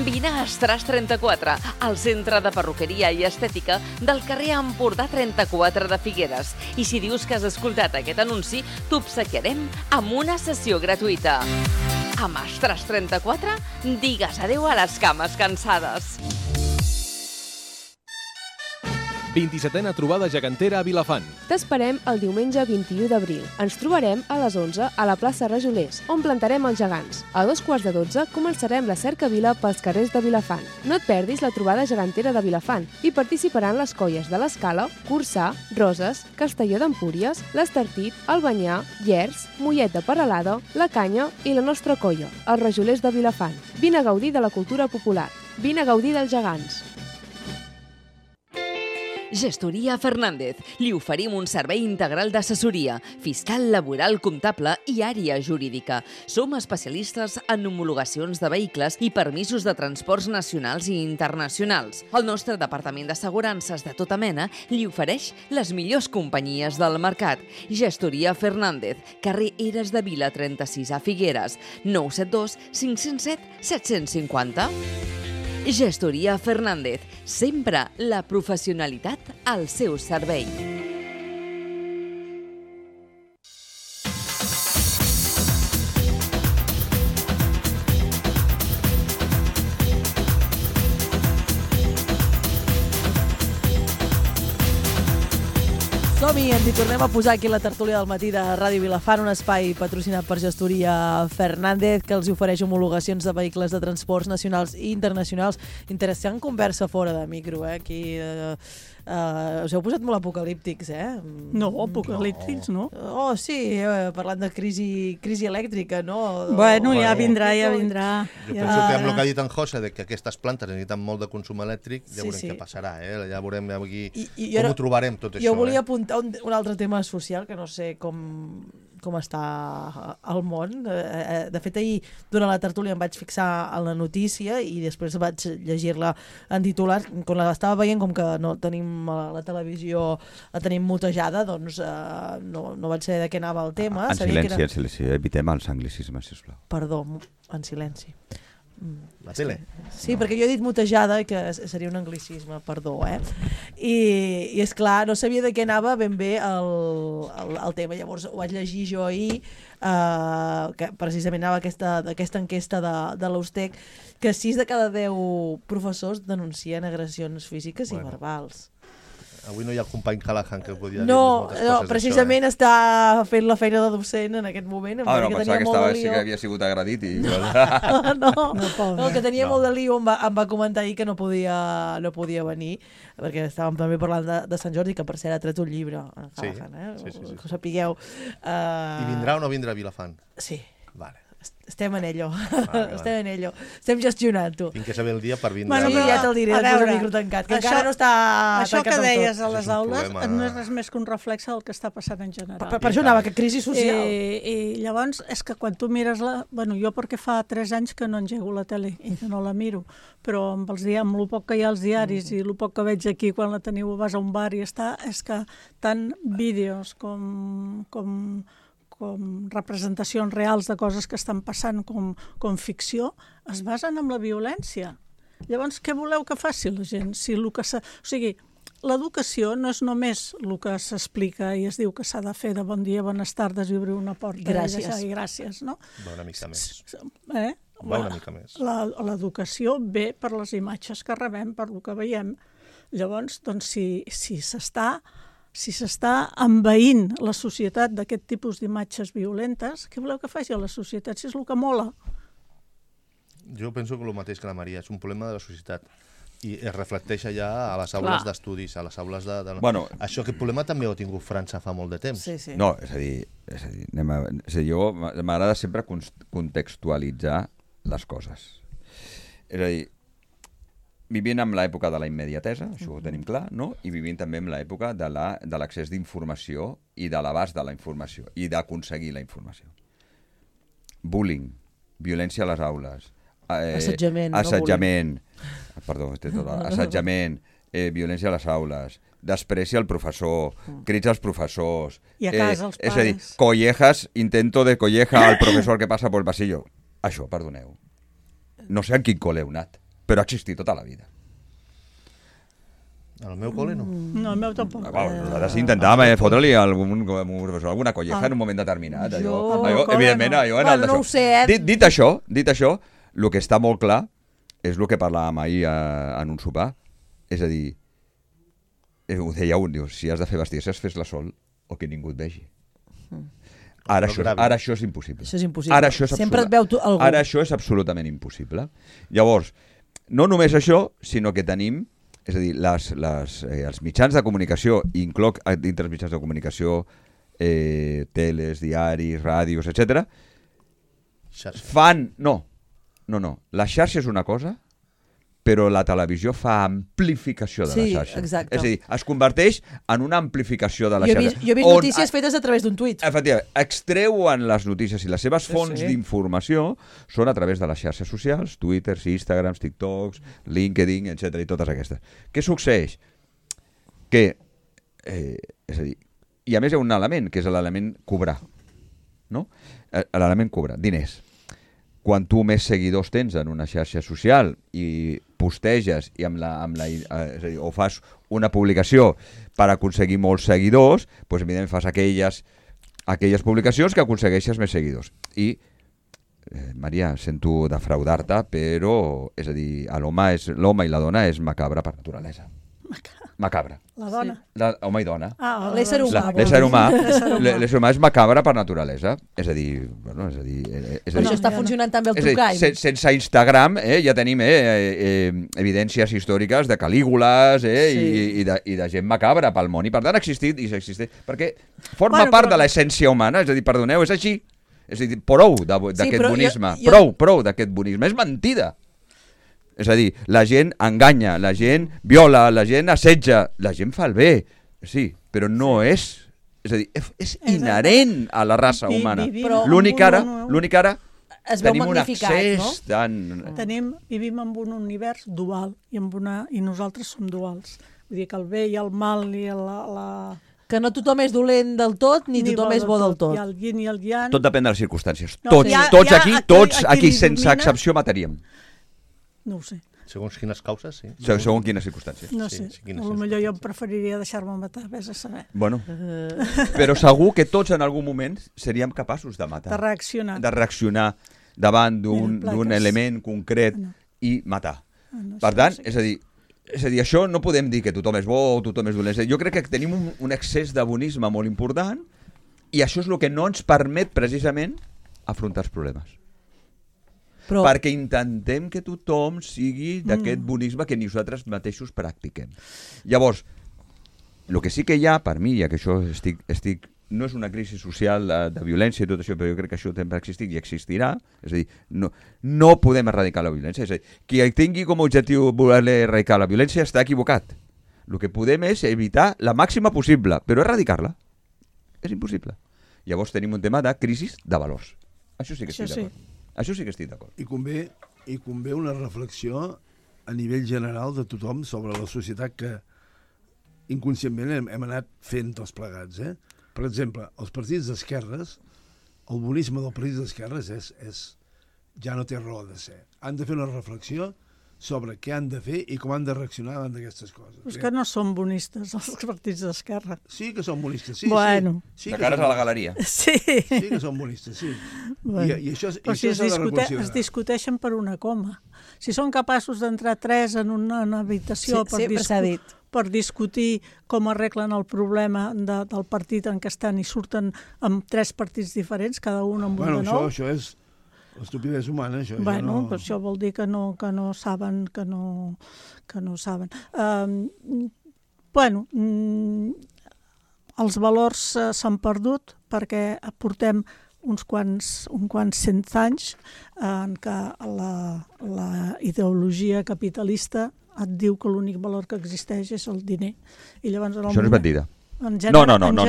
Vine a Estras 34, al centre de perruqueria i estètica del carrer Empordà 34 de Figueres. I si dius que has escoltat aquest anunci, t'obsequiarem amb una sessió gratuïta. Amb Estras 34, digues adeu a les cames cansades. 27a trobada gegantera a Vilafant. T'esperem el diumenge 21 d'abril. Ens trobarem a les 11 a la plaça Rajolers, on plantarem els gegants. A 2:15 començarem la cercavila pels carrers de Vilafant. No et perdis la trobada gegantera de Vilafant. Hi participaran les colles de l'Escala, Corçà, Roses, Castelló d'Empúries, l'Estartit, Albanyà, Llers, Mollet de Peralada, La Canya i la nostra colla, els Rajolers de Vilafant. Vine a gaudir de la cultura popular. Vine a gaudir dels gegants. Gestoria Fernández. Li oferim un servei integral d'assessoria, fiscal, laboral, comptable i àrea jurídica. Som especialistes en homologacions de vehicles i permisos de transports nacionals i internacionals. El nostre departament d'assegurances de tota mena li ofereix les millors companyies del mercat. Gestoria Fernández, carrer Eres de Vila 36 a Figueres, 972 507 750. Gestoria Fernández, sempre la professionalitat al seu servei. Som-hi, ens hi tornem a posar aquí la tertúlia del matí de Ràdio Vilafant, un espai patrocinat per Gestoria Fernández, que els ofereix homologacions de vehicles de transports nacionals i internacionals. Interessant conversa fora de micro, aquí... us heu posat molt apocalíptics, No, apocalíptics, no. Oh, sí, parlant de crisi elèctrica, no? Bueno, ja vindrà. Jo penso que amb el que ha dit en José, que aquestes plantes necessiten molt de consum elèctric, ja veurem què passarà, ja veurem aquí com ho trobarem tot això. Jo volia apuntar un altre tema social, que no sé com està al món. De fet, ahir, durant la tertúlia, em vaig fixar en la notícia i després vaig llegir-la en titular. Quan l'estava veient, com que no tenim la televisió, la tenim mutejada, doncs no vaig saber de què anava el tema. En silenci, evitem els anglicismes, sisplau. Perdó, en silenci. La tele? Sí, perquè jo he dit mutejada, que seria un anglicisme, perdó, I és clar, no sabia de què anava ben bé el tema. Llavors ho vaig llegir jo ahir, que precisament anava aquesta enquesta de l'Austec, que 6 de cada 10 professors denuncien agressions físiques i verbals. Avui no hi ha el company Callahan que podia dir moltes coses. Precisament està fent la feina de docent en aquest moment. Pensava que havia sigut agredit. No, que tenia molt de lío, em va comentar ahir que no podia venir, perquè estàvem també parlant de Sant Jordi, que per cert ha tret un llibre. Callahan, sí. Que ho sapigueu. I vindrà o no vindrà a Vilafant? Sí. Vale. Estem en ello. Estem en ello. Estem gestionant-ho. Tinc que saber el dia per vindre. Bueno, ja te'l diré, després del micro tancat, que encara no està això tancat que deies a les un aules problema. no és res més que un reflex del que està passant en general. Per això anava, que crisi social. I llavors, és que quan tu mires Bueno, jo perquè fa 3 anys que no engego la tele i que no la miro, però amb el poc que hi ha als diaris i el poc que veig aquí quan la teniu, vas a un bar i està, és que tant vídeos com representacions reals de coses que estan passant com ficció, es basen en la violència. Llavors, què voleu que faci la gent? O sigui, l'educació no és només el que s'explica i es diu que s'ha de fer de bon dia, bones tardes i obrir una porta i gràcies, no? Va una mica més. Va una mica més. L'educació ve per les imatges que rebem, per el que veiem. Llavors, doncs, si s'està envaint la societat d'aquest tipus d'imatges violentes, què voleu que faci a la societat? Si és el que mola. Jo penso que el mateix que la Maria, és un problema de la societat. I es reflecteix allà a les aules d'estudis, a les aules de... Bueno, això, aquest problema també ho ha tingut França fa molt de temps. Sí. No, és a dir, jo m'agrada sempre contextualitzar les coses. És a dir, vivint en l'època de la immediatesa, això ho tenim clar, no? I vivint també en l'època de l'accés d'informació i de l'abast de la informació i d'aconseguir la informació. Bullying, violència a les aules, assetjament, violència a les aules, despreci al professor, crits als professors... I a casa, els pares. És a dir, collejas, intento de colleja al professor que passa pel pasillo. Això, perdoneu. No sé en quin col·le heu anat, però ha existit tota la vida. Al meu col·le no. No, el meu tampoc. Nosaltres intentàvem fotre-li alguna colleja en un moment determinat. Evidentment, allò... No ho sé, Dit això, el que està molt clar és el que parlàvem ahir en un sopar. És a dir, ho deia un, diu, si has de fer bestiesa, fes-la sol o que ningú et vegi. Ara això és impossible. Això és impossible. Sempre et veu algú. Ara això és absolutament impossible. Llavors, no només això, sinó que tenim... És a dir, els mitjans de comunicació, incloc dintre els mitjans de comunicació, teles, diaris, ràdios, etc. fan... No. La xarxa és una cosa, però la televisió fa amplificació de la xarxa. Exacte. És a dir, es converteix en una amplificació de la xarxa. Jo he vist notícies fetes a través d'un tuit. Efectivament, extreuen les notícies i les seves fonts d'informació són a través de les xarxes socials, Twitter, Instagrams, TikToks, LinkedIn, etc. i totes aquestes. Què succeeix? Que, és a dir, i a més hi ha un element, que és l'element cobrar. No? L'element cobrar, diners. Quan tu més seguidors tens en una xarxa social i posteges i és a dir, o fas una publicació per aconseguir molts seguidors, doncs evidentment fas aquelles publicacions que aconsegueixes més seguidors. I, Maria, sento defraudar-te, però, és a dir, l'home i la dona és macabra per naturalesa. Macabra. La dona? Home i dona. L'ésser humà. L'ésser humà és macabra per naturalesa. És a dir... Això està funcionant també el True Crime. Sense Instagram ja tenim evidències històriques de calígules i de gent macabra pel món. I per tant ha existit i s'existeix. Perquè forma part de l'essència humana. És a dir, perdoneu, és així. És a dir, prou d'aquest bonisme. Prou d'aquest bonisme. És mentida. És a dir, la gent enganya, la gent viola, la gent assetja, la gent fa el bé, sí, però no és... És a dir, és inherent a la raça humana. L'únic ara tenim un accés tan... Vivim en un univers dual i nosaltres som duals. Vull dir que el bé i el mal i la... Que no tothom és dolent del tot, ni tothom és bo del tot. I el yin i el yang... Tot depèn de les circumstàncies. Tots aquí, sense excepció, mataríem. No ho sé. Segons quines causes, sí. Segons quines circumstàncies. No sé, potser jo em preferiria deixar-me matar, vés a saber. Bueno, però segur que tots en algun moment seríem capaços de matar. De reaccionar davant d'un element concret i matar. Per tant, és a dir, això no podem dir que tothom és bo o tothom és dolent. Jo crec que tenim un excés de bonisme molt important i això és el que no ens permet precisament afrontar els problemes. Perquè intentem que tothom sigui d'aquest bonisme que nosaltres mateixos practiquem. Llavors, el que sí que hi ha, per mi, ja que això no és una crisi social de violència i tot això, però jo crec que això sempre ha existit i existirà, és a dir, no podem erradicar la violència. És a dir, qui tingui com a objectiu voler erradicar la violència està equivocat. El que podem és evitar la màxima possible, però erradicar-la és impossible. Llavors tenim un tema de crisi de valors. Això sí que estic d'acord. Això sí que estic d'acord. I convé una reflexió a nivell general de tothom sobre la societat que inconscientment hem anat fent tots plegats. Per exemple, els partits d'esquerres, el bonisme del partit d'esquerres ja no té raó de ser. Han de fer una reflexió sobre què han de fer i com han de reaccionar davant d'aquestes coses. És que no són bonistes, els partits d'esquerra. Sí que són bonistes, sí. Bueno. Sí, de cares a la galeria. Sí. Sí que són bonistes, sí. Bueno. I això s'ha de reconsiderar. Es discuteixen per una coma. Si són capaços d'entrar 3 en una habitació per discutir com arreglen el problema del partit en què estan i surten amb 3 partits diferents, cada un amb un de nou... Això és l'estupidesa humana, això. Bueno, però això vol dir que no saben, que no saben. Bueno, els valors s'han perdut perquè portem uns quants 100 anys en què la ideologia capitalista et diu que l'únic valor que existeix és el diner. I llavors, això no és mentida. En general, no,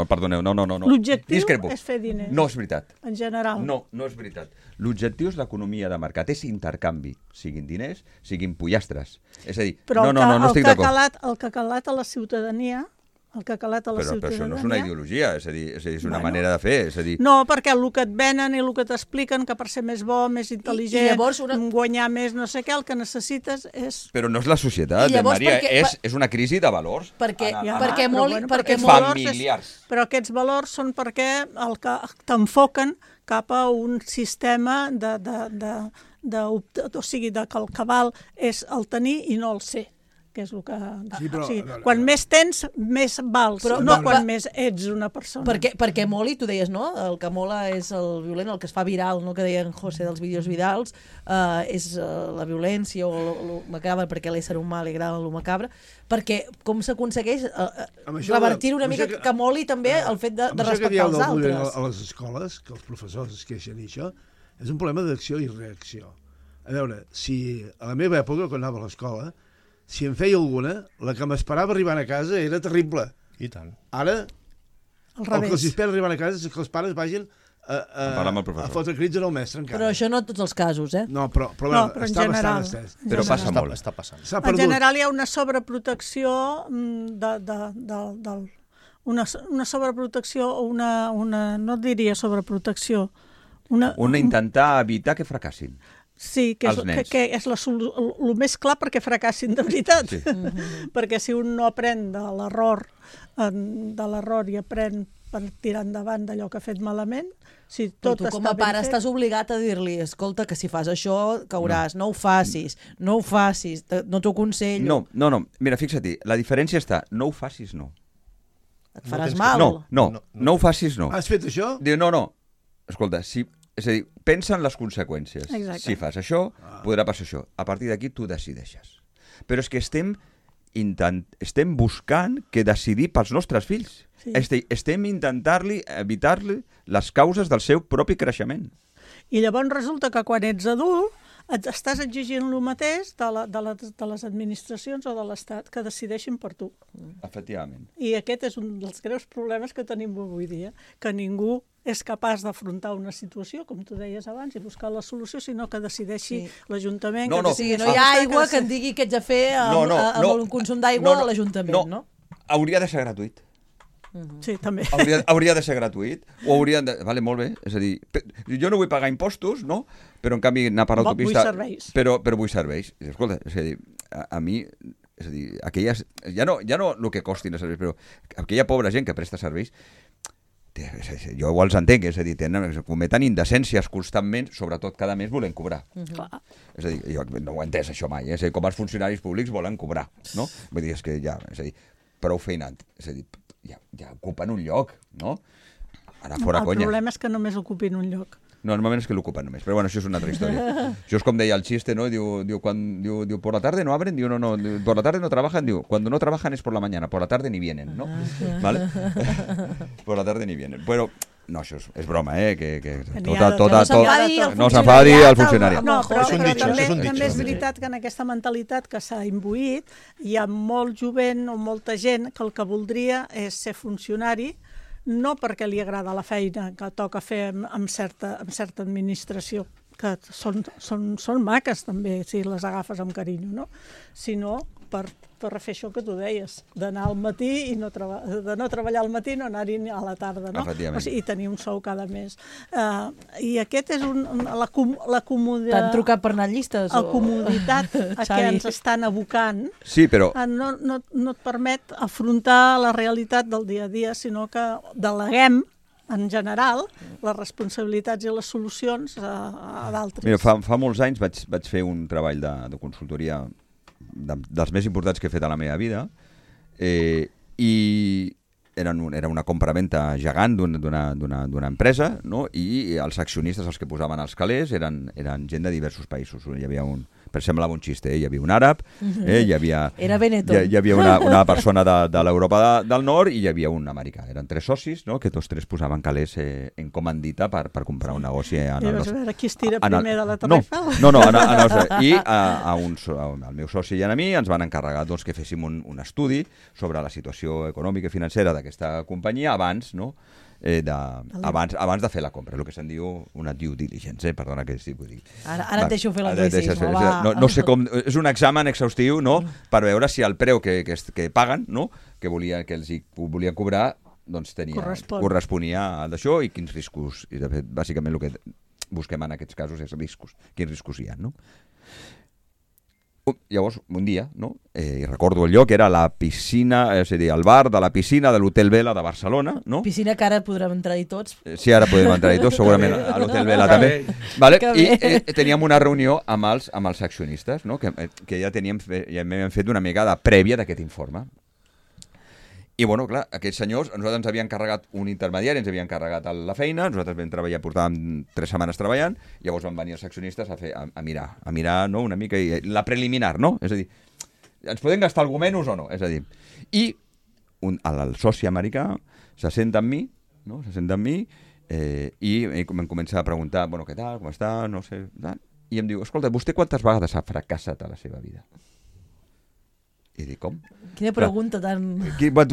perdoneu, no. L'objectiu Discrepo. és fer diners. No és veritat. En general. No és veritat. L'objectiu és l'economia de mercat, és intercanvi, siguin diners, siguin pollastres. És a dir, no estic d'acord. El que ha calat a la ciutadania... Però això no és una ideologia, és a dir, és una manera de fer. És a dir... No, perquè el que et venen i el que t'expliquen, que per ser més bo, més intel·ligent, guanyar més no sé què, el que necessites és... Però no és la societat, Maria, és una crisi de valors. Perquè familiars. Però aquests valors són perquè t'enfoquen cap a un sistema o sigui, que el que val és el tenir i no el ser. Que és el que... quan més tens, més vals, quan més ets una persona. Perquè moli, tu deies, no? El que mola és el violent, el que es fa viral, no? Que deia en José dels vídeos virals, és la violència o el macabre, perquè l'ésser humà li agrada el macabre, perquè com s'aconsegueix revertir una mica que moli també el fet de respectar els altres. A les escoles, que els professors es queixen i això, és un problema d'acció i reacció. A veure, si a la meva època, quan anava a l'escola, si em feia alguna, la que m'esperava arribant a casa era terrible. I tant. Ara, el que els espera arribant a casa és que els pares vagin a fotre crits en el mestre encara. Però això no en tots els casos, eh? No, però està bastant estès. Però passa molt. Està passant. En general hi ha una sobreprotecció una sobreprotecció o una no diria sobreprotecció. Intentar evitar que fracassin. Sí, que és el més clar perquè fracassin de veritat. Sí. Perquè si un no aprèn de l'error i aprèn per tirar endavant d'allò que ha fet malament, si tot tu com a pare estàs obligat a dir-li, escolta, que si fas això cauràs, no ho facis, no t'ho aconsello. No, mira, fixa't, la diferència està, no ho facis, no. Et faràs mal. No ho facis, no. Has fet això? Diu, no, escolta, és a dir, pensa en les conseqüències. Exacte. Si fas això, podrà passar això. A partir d'aquí tu decideixes. Però és que estem buscant que decidir pels nostres fills. Sí. Estem intentant evitar-li les causes del seu propi creixement. I llavors resulta que quan ets adult estàs exigint el mateix de les administracions o de l'Estat que decideixin per tu. Efectivament. I aquest és un dels greus problemes que tenim avui dia, que ningú és capaç d'afrontar una situació, com tu deies abans, i buscar la solució, sinó que decideixi l'Ajuntament. No hi ha aigua que et digui què ets a fer amb un consum d'aigua a l'Ajuntament, no? Hauria de ser gratuït. Sí, també. Hauria de ser gratuït, o haurien de... Vale, molt bé, és a dir, jo no vull pagar impostos, no? Però en canvi anar per l'autopista... Vull serveis. Però vull serveis. Escolta, és a dir, a mi... És a dir, aquelles... Ja no el que costin els serveis, però aquella pobra gent que presta serveis, jo els entenc, és a dir, cometen indecències constantment, sobretot cada mes volen cobrar. És a dir, jo no ho he entès això mai, és a dir, com els funcionaris públics volen cobrar, no? Vull dir, és que ja, és a dir, prou feinat, és a dir, ja ocupen un lloc, no? Ara fora conya. El problema és que només ocupin un lloc. No, normalment és que l'ocupen només, però bueno, això és una altra història. Això és com deia el xiste, ¿no? Diu, por la tarde no abren, diu, no, por la tarde no trabajan, diu, cuando no trabajan es por la mañana, por la tarde ni vienen, ¿no? ¿Vale? Por la tarde ni vienen. Però no, això és broma, que no s'enfadi el funcionari. No, però també és veritat que en aquesta mentalitat que s'ha imbuït hi ha molt jovent o molta gent que el que voldria és ser funcionari, no perquè li agrada la feina que toca fer amb certa administració, que són maques també, si les agafes amb carinyo, no? Sinó per fer això que tu deies, d'anar al matí i de no treballar al matí, no anar-hi a la tarda, no? O sigui, i tenir un sou cada mes. I aquest és la comoditat... T'han trucat per anar a llistes? La comoditat a què ens estan abocant no et permet afrontar la realitat del dia a dia, sinó que deleguem en general, les responsabilitats i les solucions a d'altres. Mira, fa molts anys vaig fer un treball de consultoria dels més importants que he fet a la meva vida, i era una compra-venta gegant d'una empresa, no? I els accionistes, els que posaven els calés, eren gent de diversos països. Hi havia Per semblava un xiste, hi havia un àrab, hi havia... Era Benetton. Hi havia una persona de l'Europa del Nord i hi havia un americà. Eren 3 socis, no?, que tots 3 posaven calés en comandita per comprar un negoci. I vas veure qui es tira primer de la Torre Eiffel. No, i al meu soci i a mi ens van encarregar que féssim un estudi sobre la situació econòmica i financera d'aquesta companyia abans, no?, abans de fer la compra, el que se'n diu una due diligence, perdona que sí, vull dir. Ara et deixo fer l'anglicisme, va. No sé com, és un examen exhaustiu, no?, per veure si el preu que paguen, no?, que els volien cobrar, doncs corresponia a d'això i quins riscos, i de fet, bàsicament el que busquem en aquests casos és riscos, quins riscos hi ha, no? Llavors, un dia, no?, i recordo el lloc, era la piscina, és a dir, el bar de la piscina de l'Hotel Vela de Barcelona, no? Piscina que ara podrem entrar-hi tots. Sí, ara podem entrar-hi tots, segurament a l'Hotel Vela també. Vale? I teníem una reunió amb els accionistes, no?, que ja m'havien fet una mica de prèvia d'aquest informe. I, bueno, clar, aquests senyors, nosaltres ens havien encarregat un intermediari, ens havien encarregat la feina, nosaltres vam treballar, portàvem 3 setmanes treballant, llavors van venir els accionistes a mirar, no?, una mica, la preliminar, no? És a dir, ens podem gastar algú menys o no? És a dir, i el soci americà se senta amb mi, no?, i em comença a preguntar, bueno, què tal, com està, no sé, i em diu, escolta, vostè quantes vegades ha fracassat a la seva vida? I dic, com? Quina pregunta tan...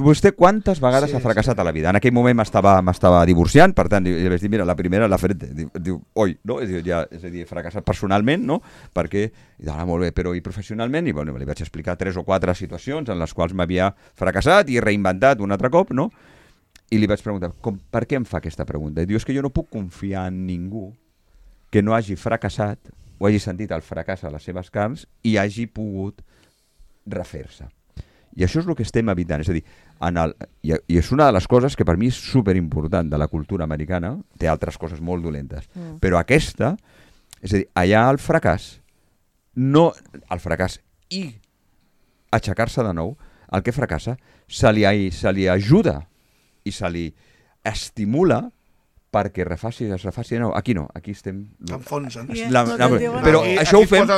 Vostè quantes vegades ha fracassat a la vida? En aquell moment m'estava divorciant, per tant, li vaig dir, mira, la primera l'ha fet, diu, oi, no? És a dir, fracassat personalment, no? Perquè, molt bé, però i professionalment? I bueno, li vaig explicar 3 o 4 situacions en les quals m'havia fracassat i reinventat un altre cop, no? I li vaig preguntar, per què em fa aquesta pregunta? I diu, és que jo no puc confiar en ningú que no hagi fracassat o hagi sentit el fracàs a les seves carns i hagi pogut refer-se. I això és el que estem evitant. És a dir, i és una de les coses que per mi és superimportant de la cultura americana, té altres coses molt dolentes, però aquesta, és a dir, allà el fracàs i aixecar-se de nou, el que fracassa, se li ajuda i se li estimula perquè es refaci de nou. Aquí no, aquí estem... Enfonsen. Però això ho fem...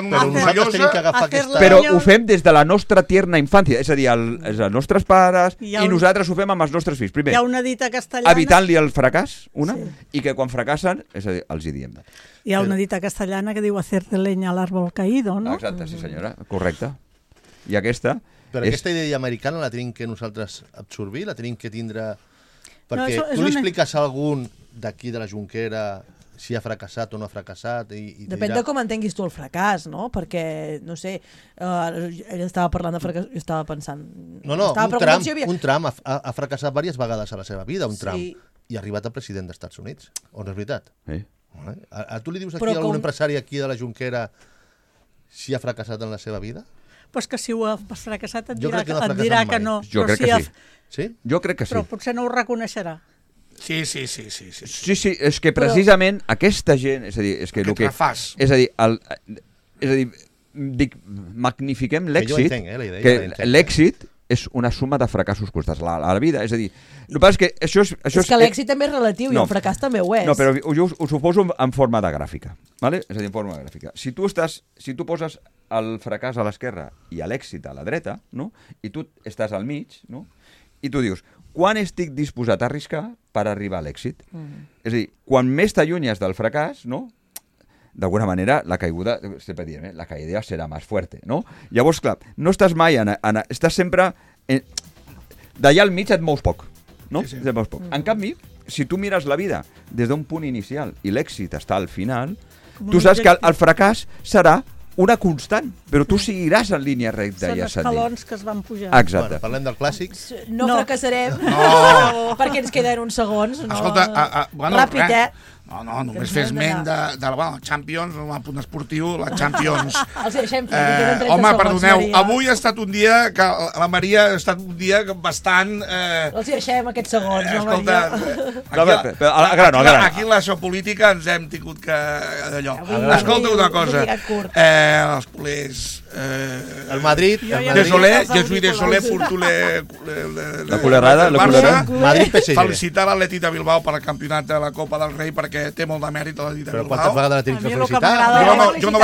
Però ho fem des de la nostra tierna infància, és a dir, els nostres pares i nosaltres ho fem amb els nostres fills. Primer, hi ha una dita castellana... evitant-li el fracàs, i que quan fracassen, és a dir, els hi diem. Hi ha una dita castellana que diu hacer de leña al árbol caído, no? Exacte, sí senyora, correcte. I aquesta... Però aquesta idea americana la tenim que nosaltres absorbir, la tenim que tindre... Perquè tu li expliques a algun d'aquí de la Jonquera si ha fracassat o no ha fracassat i depèn de com entenguis tu el fracàs, no? Perquè, no sé, ell estava parlant de fracàs, jo estava pensant... un tram ha fracassat diverses vegades a la seva vida, un tram, i ha arribat a president dels Estats Units, o no és veritat? A tu li dius aquí a algun empresari aquí de la Jonquera si ha fracassat en la seva vida? Pues que si ho has fracassat et dirà que no. Jo crec que sí. Sí? Jo crec que sí. Però potser no ho reconeixerà. Sí. Sí, és que precisament aquesta gent, és a dir, és que el que és a dir, magnifiquem l'èxit, que l'èxit és una suma de fracassos constats a la vida, és a dir, el que passa és que això és que l'èxit també és relatiu i el fracàs també ho és. No, però ho suposo en forma de gràfica, ¿vale? És a dir, en forma de gràfica. Si tu poses el fracàs a l'esquerra i l'èxit a la dreta, no? I tu estàs al mig, no? I tu dius, quan estic disposat a arriscar per arribar a l'èxit? És a dir, quan més t'allunyes del fracàs, no? D'alguna manera, la caiguda, sempre diem, la caïda serà més fuerte, no? Llavors, clar, no estàs mai estàs sempre... D'allà al mig et mous poc, no? Sí. Et mous poc. En canvi, si tu mires la vida des d'un punt inicial i l'èxit està al final, tu saps que el fracàs serà una constant, però tu seguiràs en línia recta. Són escalons que es van pujar. Exacte. Bueno, parlem del clàssic. No fracassarem, perquè ens queden uns segons. Escolta, ràpid, No, només fes ment de la Champions, el punt esportiu, la Champions. Els deixem fer, queden 30 home, segons, perdoneu, Maria. avui ha estat un dia que la Maria ha estat un dia bastant... Els deixem aquests segons, no, Maria? Aquí en la sociopolítica ens hem tingut que... d'allò. Escolta una cosa, els culers El Madrid... Jesús de Soler, la culerada, Madrid PSG. Felicitar l'Atlètic de Bilbao per al campionat de la Copa del Rei, perquè té molt de mèrit l'Atlètic de Bilbao. Però quantes vegades la tenim que felicitar? Jo no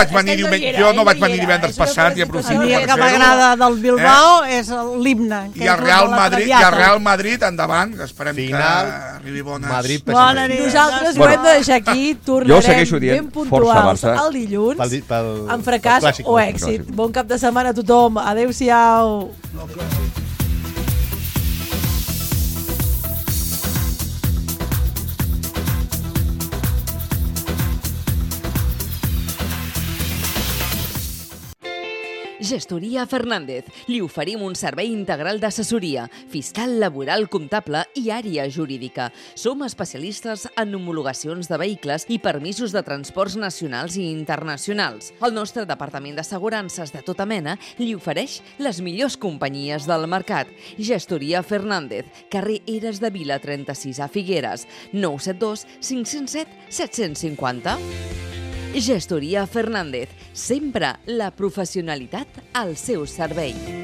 vaig venir divendres passat i aprofito per fer-ho. El que m'agrada del Bilbao és l'himne. I el Real Madrid, endavant, que esperem que arribi bona. Nosaltres ho hem de deixar aquí, tornarem ben puntuals el dilluns amb fracàs o èxit. Bon cap de setmana a tothom. Adéu-siau. Gestoria Fernández. Li oferim un servei integral d'assessoria, fiscal, laboral, comptable i àrea jurídica. Som especialistes en homologacions de vehicles i permisos de transports nacionals i internacionals. El nostre departament d'assegurances de tota mena li ofereix les millors companyies del mercat. Gestoria Fernández, carrer Eres de Vila 36 a Figueres, 972 507 750. Gestoria Fernández, sempre la professionalitat al seu servei.